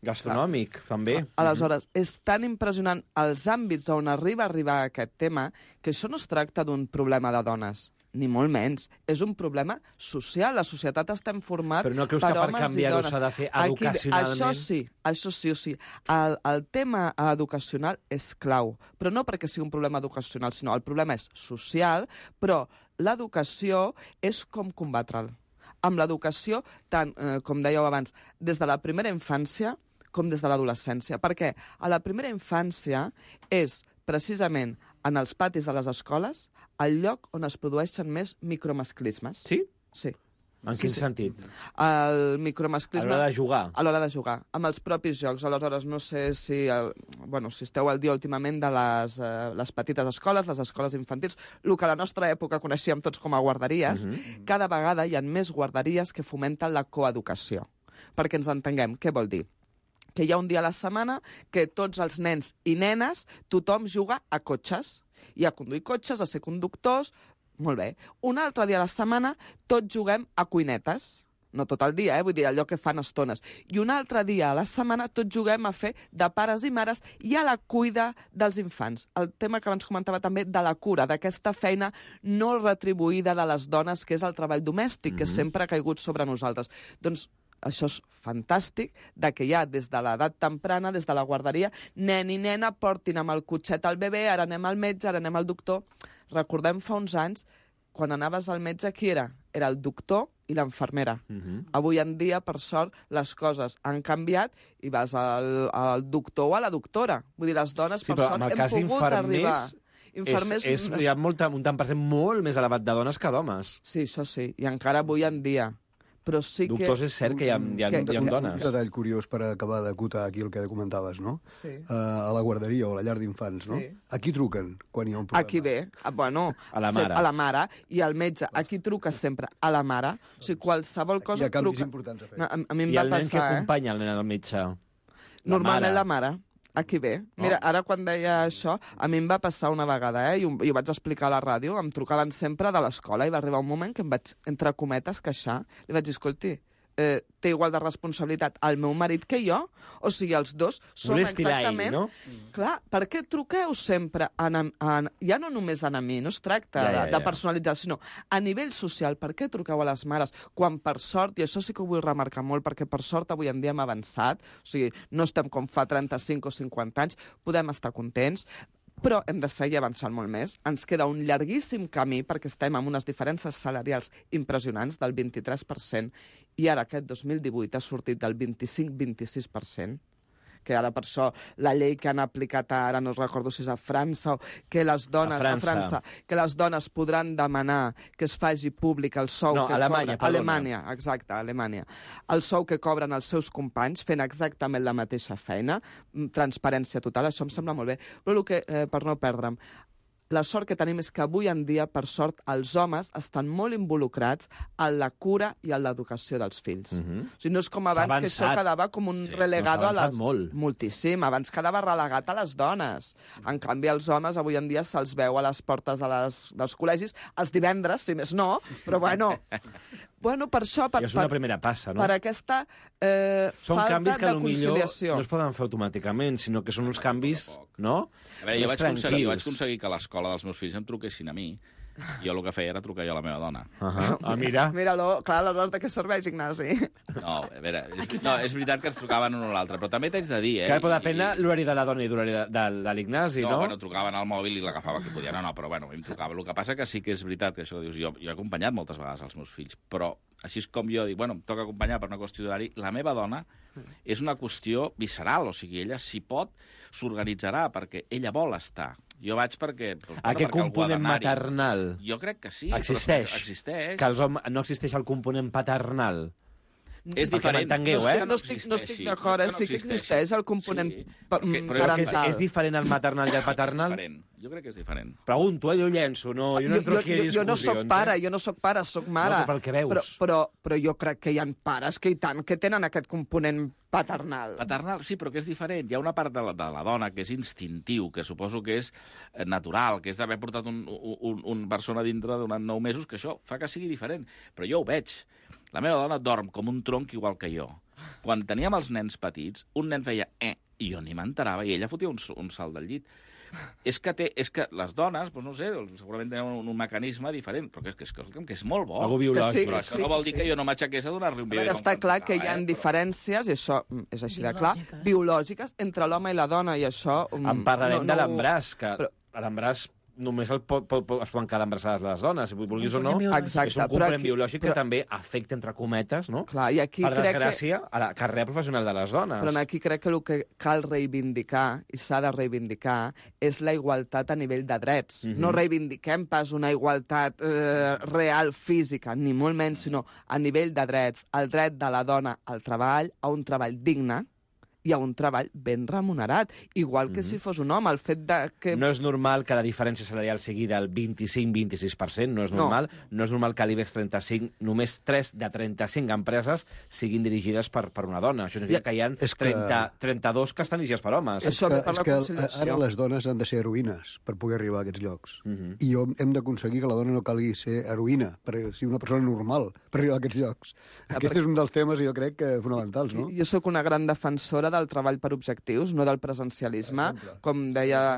Gastronòmic, també. Aleshores, és tan impressionant els àmbits on arriba aquest tema que això no es tracta d'un problema de dones. ni molt menys. És un problema social. La societat està format per homes i dones. Però no creus que per canviar-ho s'ha de fer educacionalment? Això sí. El tema educacional és clau, però no perquè sigui un problema educacional, sinó el problema és social, però l'educació és com combatre'l. Amb l'educació, tant, com dèieu abans, des de la primera infància com des de l'adolescència. Perquè a la primera infància és precisament en els patis de les escoles el lloc on es produeixen més micromasclismes. Sí? Sí. En quin sentit? El micromasclisme... A l'hora de jugar? A l'hora de jugar, amb els propis jocs. Aleshores, no sé si esteu al dia últimament de les petites escoles, les escoles infantils, el que a la nostra època coneixíem tots com a guarderies, cada vegada hi ha més guarderies que fomenten la coeducació. Perquè ens entenguem, què vol dir? Que hi ha un dia a la setmana que tots els nens i nenes, tothom juga a cotxes, i a conduir cotxes, a ser conductors. Molt bé. Un altre dia a la setmana tots juguem a cuinetes. No tot el dia, vull dir, allò que fan estones. I un altre dia a la setmana tots juguem a fer de pares i mares i a la cuida dels infants. El tema que abans comentava també de la cura, d'aquesta feina no retribuïda de les dones, que és el treball domèstic, que sempre ha caigut sobre nosaltres. Doncs això és fantàstic, que ja des de l'edat temprana, des de la guarderia, nen i nena portin amb el cotxet al bebè, ara anem al metge, ara anem al doctor. Recordem fa uns anys, quan anaves al metge, qui era? Era el doctor i l'infermera. Avui en dia, per sort, les coses han canviat i vas al doctor o a la doctora. Vull dir, les dones, per sort, hem pogut arribar. Hi ha un tant per cent molt més elevat de dones que d'homes. Sí, això sí, i encara avui en dia. Però sí que... Doctors, és cert que hi ha dones. Un detall curiós per acabar d'acotar aquí el que comentaves, no? Sí. A la guarderia o a la llar d'infants, no? A qui truquen quan hi ha un problema? Aquí ve, bueno... A la mare. A la mare, i al metge. Aquí truca sempre a la mare. O sigui, qualsevol cosa truca... Hi ha canvis importants a fer. A mi em va passar, I el nen que acompanya el nen al metge? Normalment la mare. Aquí ve. Mira, ara quan deia això, a mi em va passar una vegada, i ho vaig explicar a la ràdio, em trucaven sempre de l'escola i va arribar un moment que em vaig, entre cometes, queixar. Li vaig dir, escolti, té igual de responsabilitat el meu marit que jo? O sigui, els dos som exactament... no? Clar, per què truqueu sempre ja no només a mi, no es tracta de personalitzar, sinó a nivell social, per què truqueu a les mares? Quan per sort, i això sí que ho vull remarcar molt, perquè per sort avui en dia hem avançat, o sigui, no estem com fa 35 o 50 anys, podem estar contents, però hem de seguir avançant molt més. Ens queda un llarguíssim camí perquè estem amb unes diferències salarials impressionants del 23%, i ara aquest 2018 ha sortit del 25-26%, que ara per això la llei que han aplicat ara, no recordo si és a França, que les dones a França, que les dones podran demanar que es faci públic el sou que Alemanya, cobren... Alemanya, exacte, Alemanya. El sou que cobren els seus companys fent exactament la mateixa feina, transparència total, això em sembla molt bé. Però el que, per no perdre'm, la sort que tenim és que avui en dia, per sort, els homes estan molt involucrats en la cura i en l'educació dels fills. O sigui, no és com abans, que això quedava com un relegado a les... Moltíssim. Abans quedava relegat a les dones. En canvi, els homes avui en dia se'ls veu a les portes dels col·legis els divendres, si més no, però bueno... Bueno, per això... I és una primera passa, no? Per aquesta falta de conciliació. No es poden fer automàticament, sinó que són uns canvis, no? A veure, jo vaig aconseguir que a l'escola dels meus fills em truquessin a mi. Jo el que feia era trucar jo a la meva dona. Mira. Mira-lo, clar, aleshores de què serveix, Ignasi? No, a veure, és veritat que ens trucaven un o l'altre, però també t'haig de dir, Que però depèn l'horari de la dona i l'horari de l'Ignasi, no? No, bueno, trucaven al mòbil i l'agafava que podia, no, però bueno, em trucava. El que passa que sí que és veritat que això que dius, jo he acompanyat moltes vegades els meus fills, però així és com jo dic, bueno, em toca acompanyar per una qüestió d'horari, la meva dona és una qüestió visceral, o sigui, ella, si pot, s'organitzarà, perquè ella vol estar. Jo vaig perquè... Aquest component maternal... Jo crec que sí. Existeix. Existeix. Que no existeix el component paternal. És diferent. No estic d'acord, sí que existeix el component parental. És diferent el maternal i el paternal? Jo crec que és diferent. Pregunto, jo llenço, jo no entro aquí a discussions. Jo no soc pare, soc mare. No, pel que veus. Però jo crec que hi ha pares que i tant que tenen aquest component paternal. Paternal, sí, però que és diferent. Hi ha una part de la dona que és instintiu, que suposo que és natural, que és d'haver portat un persona dintre durant 9 mesos, que això fa que sigui diferent. Però jo ho veig. La meva dona dorm com un tronc igual que jo. Quan teníem els nens petits, un nen feia i jo ni m'enterava, i ella fotia un salt del llit. és que les dones, doncs no sé, segurament tenen un mecanisme diferent, però que és molt bo. Algú biològic. Però això no vol dir que jo no m'aixequés a donar-li un biberó. Està clar que hi ha diferències, i això és així de clar, biològiques entre l'home i la dona, i això... En parlarem de l'embràs, que l'embràs només es poden quedar embarassades les dones, si vulguis o no. Exacte, és un complement biològic que també afecta, entre cometes, no? Clar, i aquí per desgràcia, a la carrera professional de les dones. Però aquí crec que el que cal reivindicar, i s'ha de reivindicar, és la igualtat a nivell de drets. No reivindiquem pas una igualtat real, física, ni molt menys, sinó a nivell de drets. El dret de la dona al treball, a un treball digne, i a un treball ben remunerat, igual que si fos un home. El fet de que... No és normal que la diferència salarial sigui del 25-26%, no és normal. No és normal que a l'IBEX 35 només 3 de 35 empreses siguin dirigides per una dona. Això significa que hi ha 32 que estan dirigides per homes. És que ara les dones han de ser heroïnes per poder arribar a aquests llocs. I hem d'aconseguir que la dona no calgui ser heroïna, per ser una persona normal per arribar a aquests llocs. Aquest és un dels temes, jo crec, fonamentals, no? Jo sóc una gran defensora del treball per objectius, no del presencialisme, com deia...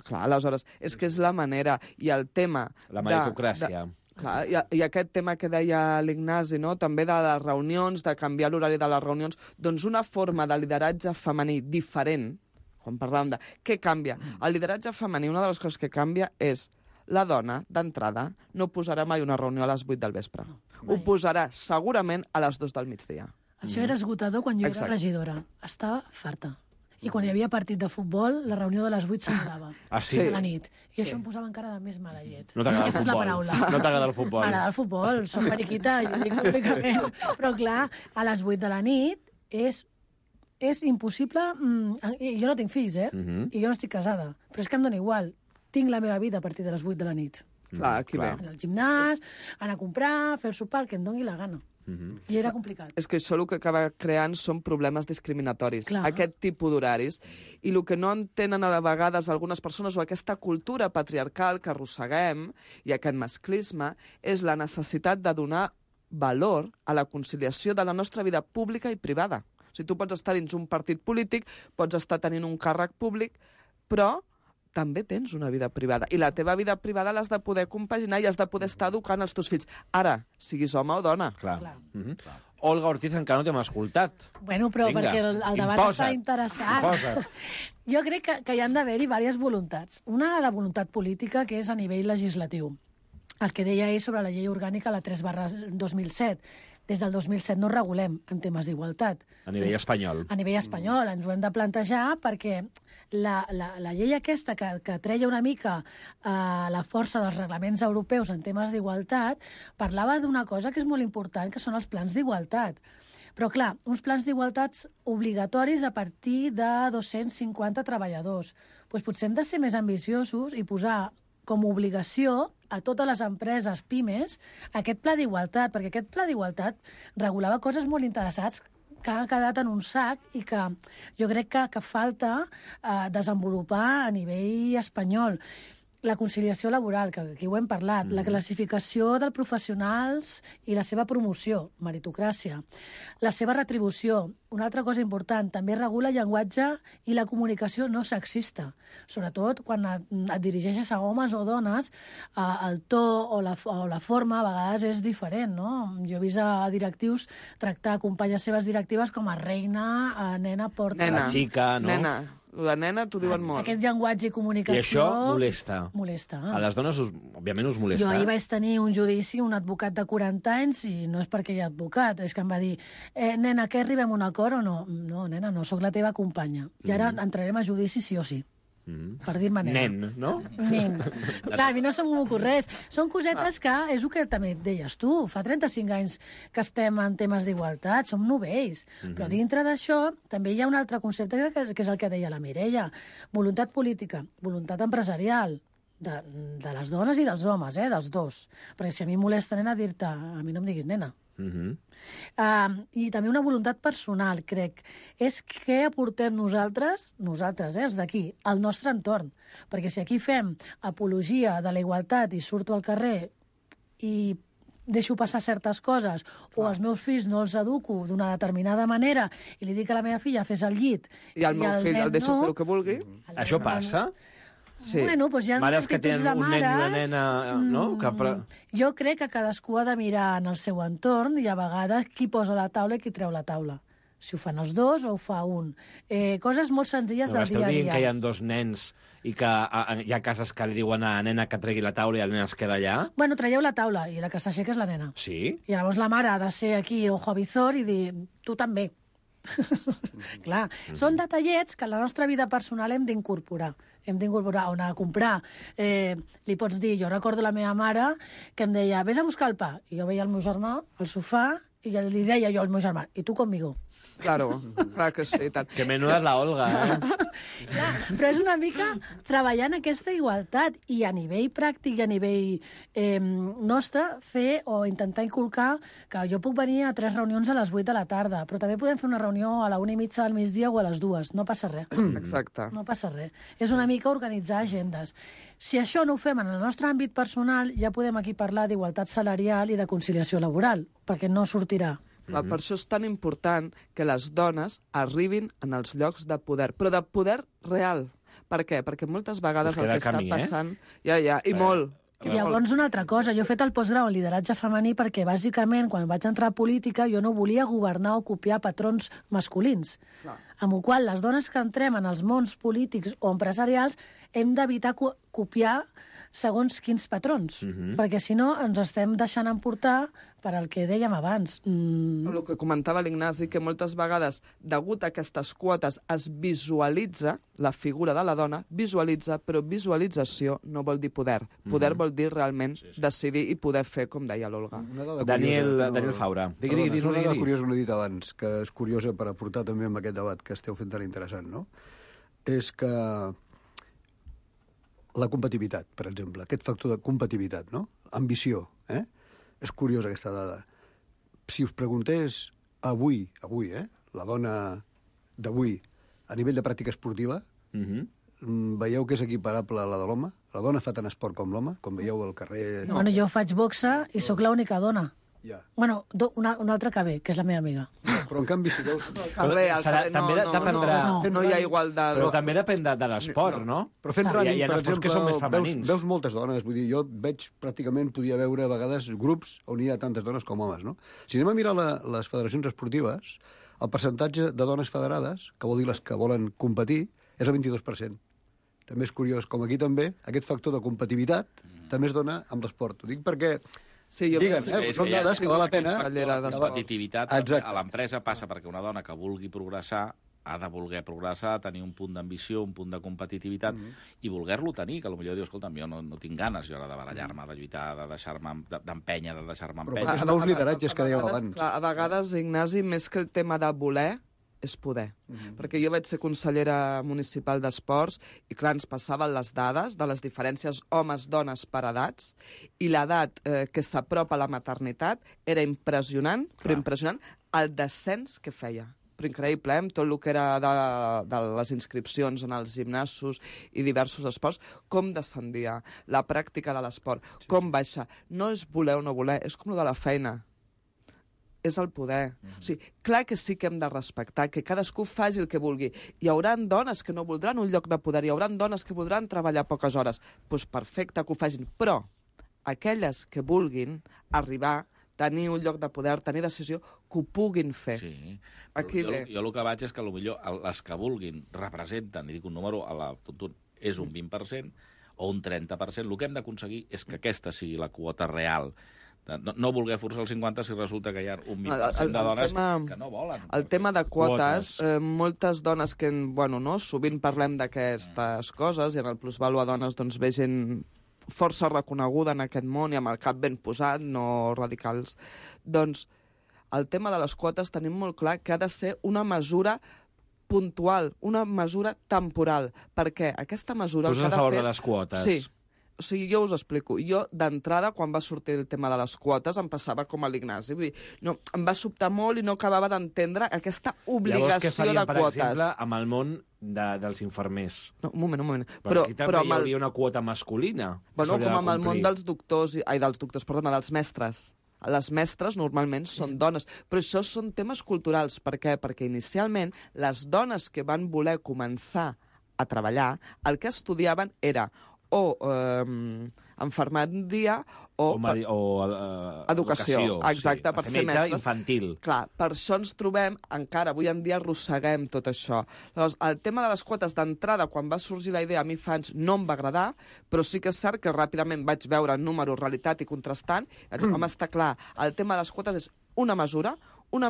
Clar, aleshores, és que és la manera, i el tema... La meritocràcia. Clar, i aquest tema que deia l'Ignasi, no? També de les reunions, de canviar l'horari de les reunions, doncs una forma de lideratge femení diferent, quan parlàvem de què canvia. El lideratge femení, una de les coses que canvia és la dona, d'entrada, no posarà mai una reunió a les 8 del vespre. Ho posarà segurament a les 2 del migdia. Això era esgotador quan jo era regidora. Estava farta. I quan hi havia partit de futbol, la reunió de les 8 s'acabava. Ah, sí? A la nit. I això em posava encara de més mala llet. No t'agrada el Aquesta és la paraula. No t'agrada el futbol. M'agrada el futbol, soc periquita, jo dic públicament. Però clar, a les 8 de la nit és impossible... Jo no tinc fills, I jo no estic casada. Però és que em dona igual. Tinc la meva vida a partir de les 8 de la nit. Clar, aquí ve. Anar al gimnàs, anar a comprar, fer el sopar, el que em doni la gana. I era complicat. És que això el que acaba creant són problemes discriminatoris. Clar. Aquest tipus d'horaris. I el que no entenen a vegades algunes persones, o aquesta cultura patriarcal que arrosseguem, i aquest masclisme, és la necessitat de donar valor a la conciliació de la nostra vida pública i privada. O sigui, tu pots estar dins un partit polític, pots estar tenint un càrrec públic, però també tens una vida privada. I la teva vida privada l'has de poder compaginar i has de poder estar educant els teus fills. Ara, siguis home o dona. Clar. Olga Ortiz encara no t'hem escoltat. Bueno, però vinga, perquè el debat està interessant. Imposa't. Jo crec que hi han d'haver-hi diverses voluntats. Una, la voluntat política, que és a nivell legislatiu. El que deia ell sobre la llei orgànica, la 3/2007. Des del 2007 no regulem en temes d'igualtat. A nivell espanyol. A nivell espanyol. Ens ho hem de plantejar perquè la llei aquesta que treia una mica la força dels reglaments europeus en temes d'igualtat parlava d'una cosa que és molt important, que són els plans d'igualtat. Però, clar, uns plans d'igualtats obligatoris a partir de 250 treballadors. Doncs potser hem de ser més ambiciosos i posar com a obligació a totes les empreses pimes aquest pla d'igualtat, perquè aquest pla d'igualtat regulava coses molt interessants que han quedat en un sac i que jo crec que falta desenvolupar a nivell espanyol. La conciliació laboral, que aquí ho hem parlat, la classificació dels professionals i la seva promoció, meritocràcia, la seva retribució. Una altra cosa important, també regula el llenguatge i la comunicació no sexista. Sobretot quan et dirigeixes a homes o dones, el to o la forma a vegades és diferent, no? Jo he vist a directius tractar companyes seves directives com a reina, a nena, porta... Nena, la xica, no? Nena. La nena t'ho diuen molt. Aquest llenguatge i comunicació... I això molesta. Molesta. A les dones, òbviament, us molesta. Jo ahir vaig tenir un judici, un advocat de 40 anys, i no és perquè hi ha advocat, és que em va dir, nena, que arribem a un acord o no? No, nena, no, sóc la teva companya. I ara entrarem a judici sí o sí. Per dir-me nena. Nen, no? Nen. Clar, a mi no se'm ocorre res. Són cosetes que, és el que també deies tu, fa 35 anys que estem en temes d'igualtat, som novells. Però dintre d'això també hi ha un altre concepte que és el que deia la Mireia. Voluntat política, voluntat empresarial, de les dones i dels homes, dels dos. Perquè si a mi em molesta, nena, dir-te, a mi no em diguis nena. I també una voluntat personal, crec, és què aportem nosaltres, els d'aquí, al nostre entorn. Perquè si aquí fem apologia de la igualtat i surto al carrer i deixo passar certes coses, o els meus fills no els educo d'una determinada manera i li dic a la meva filla fes el llit i el meu fill el deixo fer el que vulgui. Això passa? Sí. Bueno, doncs hi ha Mares que actituds tenen de un nen i una mares, nena, no? Jo crec que cadascú ha de mirar en el seu entorn i a vegades qui posa la taula i qui treu la taula. Si ho fan els dos o ho fa un. Coses molt senzilles del dia a Esteu dient dia. que hi ha dos nens i que hi ha cases que li diuen a la nena que tregui la taula i el nen es queda allà? Bueno, traieu la taula i la que s'aixeca és la nena. Sí? I llavors la mare ha de ser aquí ojo avizor i dir, tu també. Clar, són detallets que en la nostra vida personal hem d'incorporar. Hem d'incorporar on anar a comprar. Li pots dir, jo recordo la meva mare que em deia, vés a buscar el pa. I jo veia el meu germà al sofà i li deia jo al meu germà, i tu conmigo. Claro, clar que sí. Tant. Que menuda és la Olga, Clar, però és una mica treballant aquesta igualtat i a nivell pràctic i a nivell nostre fer o intentar inculcar que jo puc venir a 3 reunions a les 8 de la tarda, però també podem fer una reunió a la 1:30 del migdia o a les 2. No passa res. Exacte. No passa res. És una mica organitzar agendes. Si això no ho fem en el nostre àmbit personal, ja podem aquí parlar d'igualtat salarial i de conciliació laboral, perquè no sortirà. Per això és tan important que les dones arribin en els llocs de poder, però de poder real. Per què? Perquè moltes vegades el que està passant... I molt. I llavors una altra cosa, jo he fet el postgrau en lideratge femení perquè bàsicament quan vaig entrar a política jo no volia governar o copiar patrons masculins. Amb la qual les dones que entrem en els mons polítics o empresarials hem d'evitar copiar segons quins patrons, perquè si no ens estem deixant emportar per al que dèiem abans. El que comentava l'Ignasi, que moltes vegades, degut a aquestes quotes, es visualitza la figura de la dona, però visualització no vol dir poder. Poder vol dir realment decidir i poder fer, com deia l'Olga. Daniel Faura. Digui. Una dada curiosa que no he dit abans, que és curiosa per aportar també en aquest debat que esteu fent tan interessant, no? És que la competitivitat, per exemple, aquest factor de competitivitat, no? Ambició, És curiosa aquesta dada. Si us preguntés avui, la dona d'avui, a nivell de pràctica esportiva, veieu que és equiparable a la de l'home? La dona fa tant esport com l'home? Com veieu al carrer... No. Bueno, jo faig boxa i sóc l'única dona. Ja. Bueno, una altra que ve, que és la meva amiga. Però en canvi, si veus... No hi ha igualtat. Però també depèn de l'esport, no? Però fent running, per exemple, que són més femenins. Veus moltes dones. Vull dir, jo veig pràcticament, podia veure a vegades grups on hi ha tantes dones com homes, no? Si anem a mirar les federacions esportives, el percentatge de dones federades, que vol dir les que volen competir, és el 22%. També és curiós, com aquí també, aquest factor de competitivitat també es dona amb l'esport. Ho dic perquè... Sí, són dades que val la pena... La competitivitat a l'empresa passa perquè una dona que vulgui progressar ha de voler progressar, tenir un punt d'ambició, un punt de competitivitat, i voler-lo tenir, que potser dius, escolta'm, jo no tinc ganes jo ara de barallar-me, de lluitar, de deixar-me d'empènyer, de deixar-me empènyer. Però els nous lideratges que dèieu abans. A vegades, Ignasi, més que el tema de voler, és poder. Perquè jo vaig ser consellera municipal d'esports i, clar, ens passaven les dades de les diferències homes-dones per edats i l'edat que s'apropa a la maternitat era impressionant, però impressionant el descens que feia. Però increïble, amb tot el que era de les inscripcions en els gimnasos i diversos esports, com descendia la pràctica de l'esport, com baixa. No és voler o no voler, és com el de la feina. És el poder. O sigui, clar que sí que hem de respectar, que cadascú faci el que vulgui. Hi haurà dones que no voldran un lloc de poder, hi haurà dones que voldran treballar poques hores. Doncs perfecte que ho facin, però aquelles que vulguin arribar, tenir un lloc de poder, tenir decisió, que ho puguin fer. Sí. Jo el que vaig és que potser les que vulguin representen, i dic un número, és un 20% o un 30%. El que hem d'aconseguir és que aquesta sigui la quota real. No voler forçar el 50 si resulta que hi ha un 20% de dones que no volen. El tema de quotes, moltes dones que, sovint parlem d'aquestes coses, i en el Plusvalua Dones doncs ve gent força reconeguda en aquest món i amb el cap ben posat, no radicals. Doncs el tema de les quotes tenim molt clar que ha de ser una mesura puntual, una mesura temporal, perquè aquesta mesura... Poses a favor de les quotes. Sí. O sigui, jo us explico. Jo, d'entrada, quan va sortir el tema de les quotes, em passava com a l'Ignasi. Vull dir, no, em va sobtar molt i no acabava d'entendre aquesta obligació de quotes. Llavors, què farien, per exemple, amb el món dels infermers? No, un moment. Però aquí també hi hauria una quota masculina. Bueno, com amb el món dels dels mestres. Les mestres normalment són dones, però això són temes culturals. Per què? Perquè inicialment les dones que van voler començar a treballar, el que estudiaven era o infermeria o educació. Exacte, per ser mestres. Infantil. Clar, per això ens trobem, encara avui en dia arrosseguem tot això. Llavors, el tema de les quotes d'entrada, quan va sorgir la idea, a mi fa anys no em va agradar, però sí que és cert que ràpidament vaig veure números, realitat i contrastant, i vaig dir, home, està clar, el tema de les quotes és una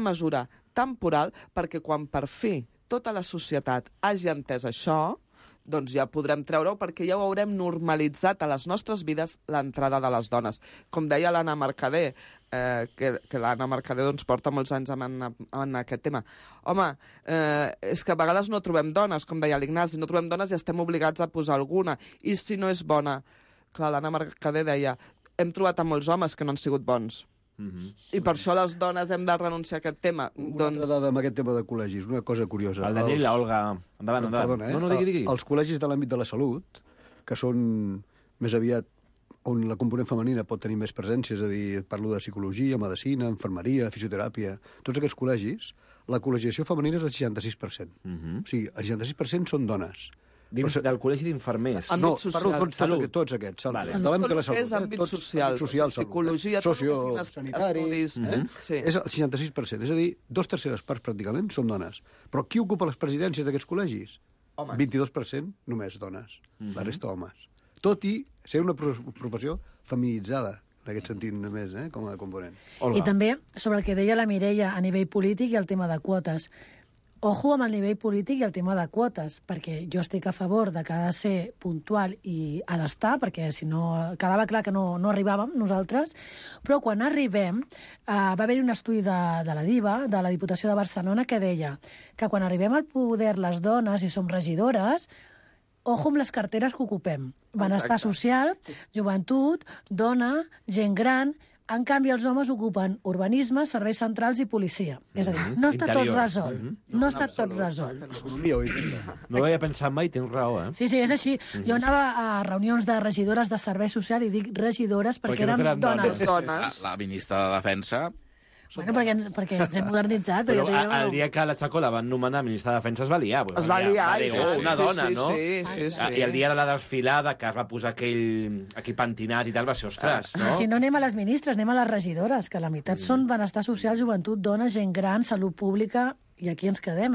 mesura temporal, perquè quan per fi tota la societat hagi entès això, doncs ja podrem treure-ho perquè ja ho haurem normalitzat a les nostres vides l'entrada de les dones. Com deia l'Anna Mercader, que l'Anna Mercader doncs, porta molts anys en aquest tema. Home, és que a vegades no trobem dones, com deia l'Ignasi, no trobem dones i estem obligats a posar alguna. I si no és bona? Clar, l'Anna Mercader deia, hem trobat a molts homes que no han sigut bons. I per això les dones hem de renunciar a aquest tema. Una altra dada amb aquest tema de col·legis, una cosa curiosa. El Daniel i l'Olga. Endavant. Perdona, No, digui. Els col·legis de l'àmbit de la salut, que són més aviat on la component femenina pot tenir més presència, és a dir, parlo de psicologia, medicina, infermeria, fisioteràpia, tots aquests col·legis, la col·legiació femenina és del 66%. O sigui, el 66% són dones. Dins del col·legi d'infermers. No, parlo tots aquests. Vale. De l'àmbit de la salut. És àmbit social, psicologia, sociosanitaris. És el 66%. És a dir, 2/3 parts pràcticament són dones. Però qui ocupa les presidències d'aquests col·legis? 22% només dones. La resta homes. Tot i ser una professió feminitzada, en aquest sentit només, com a component. I també, sobre el que deia la Mireia a nivell polític i el tema de quotes. Ojo amb el nivell polític i el tema de quotes, perquè jo estic a favor de que ha de ser puntual i ha d'estar, perquè si no quedava clar que no arribàvem nosaltres, però quan arribem va haver-hi un estudi de la DIVA, de la Diputació de Barcelona, que deia que quan arribem al poder les dones i som regidores, ojo amb les carteres que ocupem. Benestar social, joventut, dona, gent gran. En canvi, els homes ocupen urbanisme, serveis centrals i policia. És a dir, no està tot resolt. No està tot resolt. No ho havia pensat mai, tens raó, eh? Sí, és així. Jo anava a reunions de regidores de servei social i dic regidores perquè eren dones. La ministra de Defensa... Bueno, perquè ens hem modernitzat. Però el dia que la Chacó la van nomenar ministra de Defensa es va liar. Es va liar. Una dona, no? Sí. I el dia de la desfilada, que es va posar aquell pentinat i tal, va ser, ostres, no? Si no anem a les ministres, anem a les regidores, que la meitat són benestar social, joventut, dona, gent gran, salut pública... I aquí ens quedem,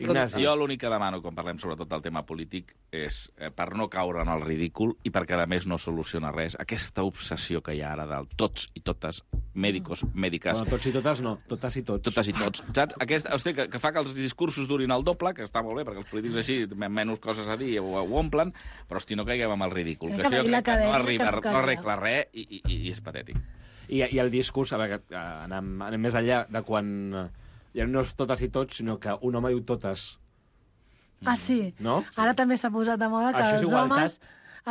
Ignasi. Jo l'únic que demano, quan parlem sobretot del tema polític, és, per no caure en el ridícul i perquè, a més, no soluciona res, aquesta obsessió que hi ha ara del tots i totes, mèdicos, mèdiques... Bueno, tots i totes no, totes i tots. Totes i tots, saps? Hosti, que fa que els discursos durin el doble, que està molt bé, perquè els polítics així menys coses a dir ho omplen, però, hosti, no caiguem amb el ridícul, que això no arregla res i és patètic. I el discurs, a veure, anem més enllà de quan... Ja no és totes i tots, sinó que un home diu totes. Ah, sí? No? Ara també s'ha posat de moda que els homes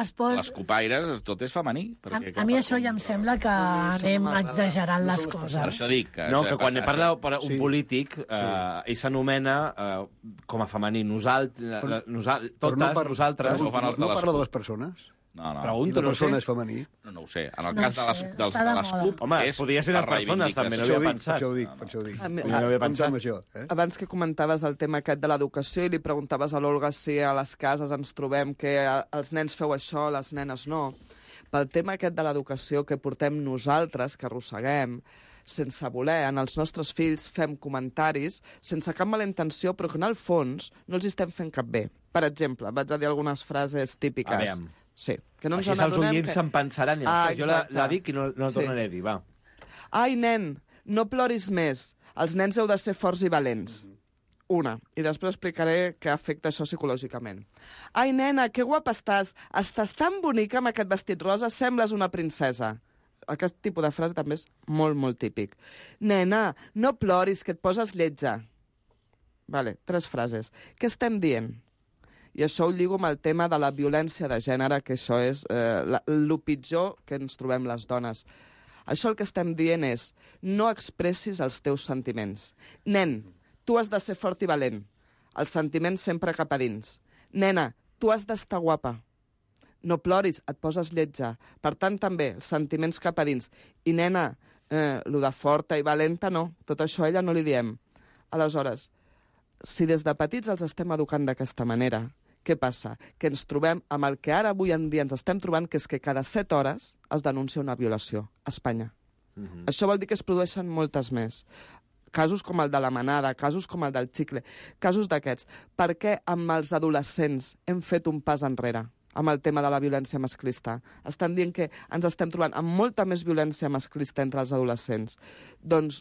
es pot... Les copaires, tot és femení. A mi això ja em sembla que anem exagerant les coses. Per això dic que... No, que quan parla un polític, ell s'anomena com a femení. Nosaltres, nosaltres... No parla de les persones? No. Pregunto, no sé. És femení? No ho sé. En el cas de les CUP... Home, podria ser de persones, també, no havia pensat. Per això ho dic. Abans que comentaves el tema aquest de l'educació i li preguntaves a l'Olga si a les cases ens trobem que els nens feu això, les nenes no. Pel tema aquest de l'educació que portem nosaltres, que arrosseguem, sense voler, en els nostres fills fem comentaris sense cap mala intenció, però que en el fons no els estem fent cap bé. Per exemple, vaig a dir algunes frases típiques. Sí, que no ens així els oients se'n pensaran. Jo la dic i no la tornaré a dir, va. Ai, nen, no ploris més. Els nens heu de ser forts i valents. Una. I després explicaré què afecta això psicològicament. Ai, nena, que guapa estàs. Estàs tan bonica amb aquest vestit rosa, sembles una princesa. Aquest tipus de frase també és molt, molt típic. Nena, no ploris, que et poses lletja. Vale, 3 frases. Què estem dient? I això ho lligo amb el tema de la violència de gènere, que això és el pitjor que ens trobem les dones. Això el que estem dient és no expressis els teus sentiments. Nen, tu has de ser fort i valent. Els sentiments sempre cap a dins. Nena, tu has d'estar guapa. No ploris, et poses lletja. Per tant, també, els sentiments cap a dins. I nena, lo de forta i valenta no. Tot això a ella no li diem. Aleshores, si des de petits els estem educant d'aquesta manera, Què passa? Que ens trobem amb el que ara avui en dia ens estem trobant, que és que cada 7 hores es denuncia una violació a Espanya. Això vol dir que es produeixen moltes més. Casos com el de la manada, casos com el del xicle, casos d'aquests. Per què amb els adolescents hem fet un pas enrere amb el tema de la violència masclista? Estan dient que ens estem trobant amb molta més violència masclista entre els adolescents. Doncs,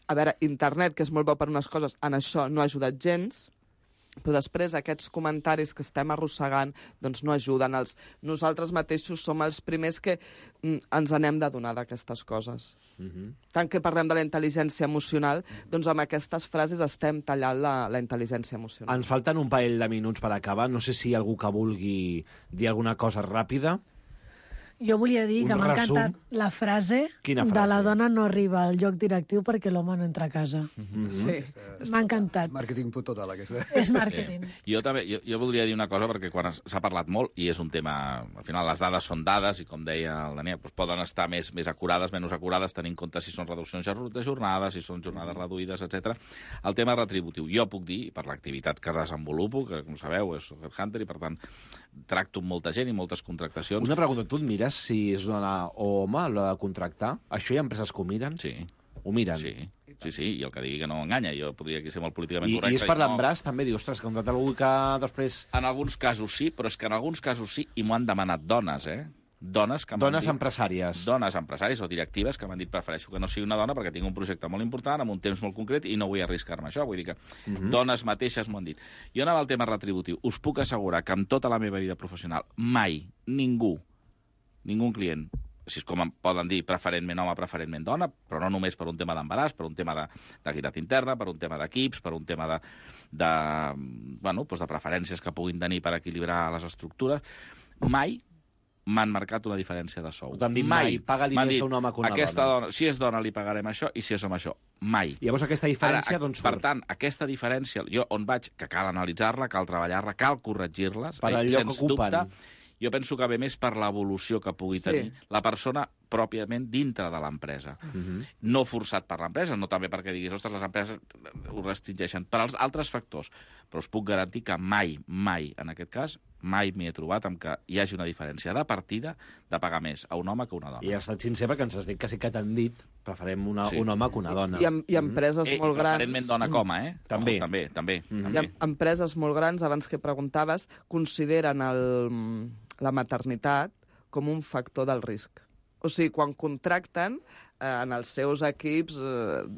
a veure, internet, que és molt bo per unes coses, en això no ha ajudat gens, però després aquests comentaris que estem arrossegant doncs no ajuden. Nosaltres mateixos som els primers que ens n'hem d'adonar d'aquestes coses. Tant que parlem de la intel·ligència emocional, doncs amb aquestes frases estem tallant la intel·ligència emocional. Ens falten un parell de minuts per acabar. No sé si hi ha algú que vulgui dir alguna cosa ràpida. Jo volia dir que m'ha encantat la frase de la dona no arriba al lloc directiu perquè l'home no entra a casa. Sí, m'ha encantat. Màrqueting total, aquesta. És màrqueting. Jo també, jo voldria dir una cosa, perquè quan s'ha parlat molt, i és un tema, al final les dades són dades, i com deia el Daniel, doncs poden estar més acurades, menys acurades, tenint en compte si són reduccions de jornades, si són jornades reduïdes, etc. El tema retributiu. Jo puc dir, per l'activitat que desenvolupo, que com sabeu és Headhunter, i per tant tracto amb molta gent i moltes contractacions. Una pregunta, tu et mires si és dona o home a l'hora de contractar? Això hi ha empreses que ho miren? Sí. Ho miren? Sí, i el que digui que no enganya. Jo podria ser molt políticament correcte. I és per l'embràs, també? Dius, ostres, que contracta algú que després... En alguns casos sí, però és que en alguns casos sí, i m'ho han demanat dones, Dones empresàries. Dones empresàries o directives que m'han dit prefereixo que no sigui una dona perquè tinc un projecte molt important, amb un temps molt concret, i no vull arriscar-me això. Vull dir que dones mateixes m'ho han dit. Jo anava al tema retributiu. Us puc assegurar que amb tota la meva vida professional mai ningú client, si és com poden dir preferentment home, preferentment dona, però no només per un tema d'embaràs, per un tema d'equitat interna, per un tema d'equips, per un tema de preferències que puguin tenir per equilibrar les estructures, mai m'han marcat una diferència de sou. T'han dit mai, paga-li més a un home que una dona. Si és dona li pagarem això, i si és home això, mai. I llavors aquesta diferència d'on surt? Per tant, aquesta diferència, jo on vaig, que cal analitzar-la, cal treballar-la, cal corregir-les, per allò que ocupen. Dubte, jo penso que ve més per l'evolució que pugui tenir la persona pròpiament dintre de l'empresa. No forçat per l'empresa, no també perquè diguis, ostres, les empreses ho restringeixen, per als altres factors. Però us puc garantir que mai, en aquest cas, mai m'hi he trobat amb que hi hagi una diferència de partida de pagar més a un home que a una dona. I has estat sincer perquè ens has dit que sí que t'han dit preferem un home que una dona. I empreses molt grans... Preferentment dona com, També. També. I empreses molt grans, abans que preguntaves, consideren la maternitat com un factor del risc. O sigui, quan contracten en els seus equips,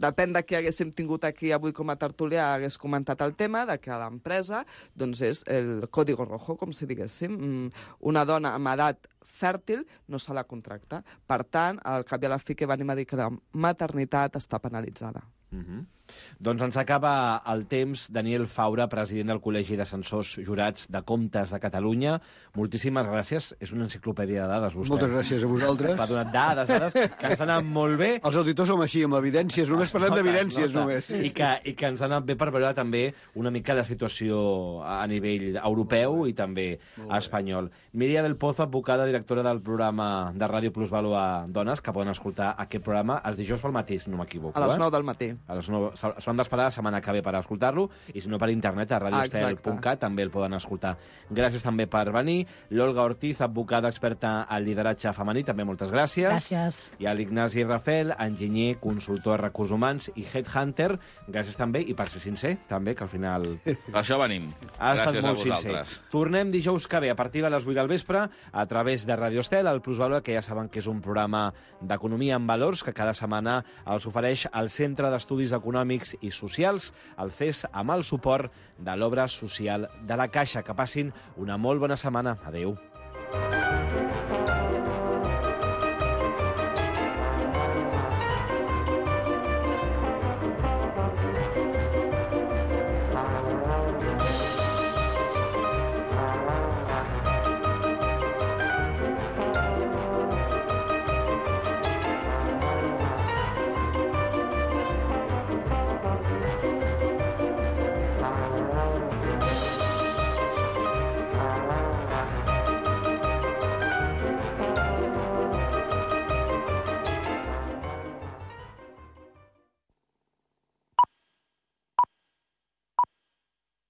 depèn de què haguéssim tingut aquí avui com a tertúlia, hagués comentat el tema de que a l'empresa doncs és el código rojo, com si diguéssim. Una dona amb edat fèrtil no se la contracta. Per tant, al cap i a la fi que venim a dir que la maternitat està penalitzada. Doncs ens acaba el temps. Daniel Faura, president del Col·legi d'Ascensors Jurats de Comptes de Catalunya. Moltíssimes gràcies. És una enciclopèdia de dades, vostè. Moltes gràcies a vosaltres. M'ha donat dades que ens han anat molt bé. Els auditors som així, amb evidències. Només parlem d'evidències, només. I que ens han anat bé per veure també una mica la situació a nivell europeu i també espanyol. Míria del Pozo, advocada, directora del programa de Ràdio Plus Vàlua Dones, que poden escoltar aquest programa els dijous pel matí, si no m'equivoco. A les 9 del matí. A les 9. S'han d'esperar la setmana que ve per escoltar-lo, i si no per internet a radioestel.cat també el poden escoltar. Gràcies també per venir. L'Olga Ortiz, advocada experta en lideratge femení, també moltes gràcies. Gràcies. I a l'Ignasi Rafel, enginyer, consultor de recursos humans i headhunter, gràcies també, i per ser sincer, també, que al final... Per això venim. Ha estat molt sincer. Tornem dijous que ve, a partir de les 8 del vespre, a través de Radio Estel, el Plus Vàlua, que ja saben que és un programa d'economia en valors, que cada setmana els ofereix el Centre d'Estudis Econòmics i Socials, el CES, amb el suport de l'Obra Social de la Caixa. Que passin una molt bona setmana. Adéu.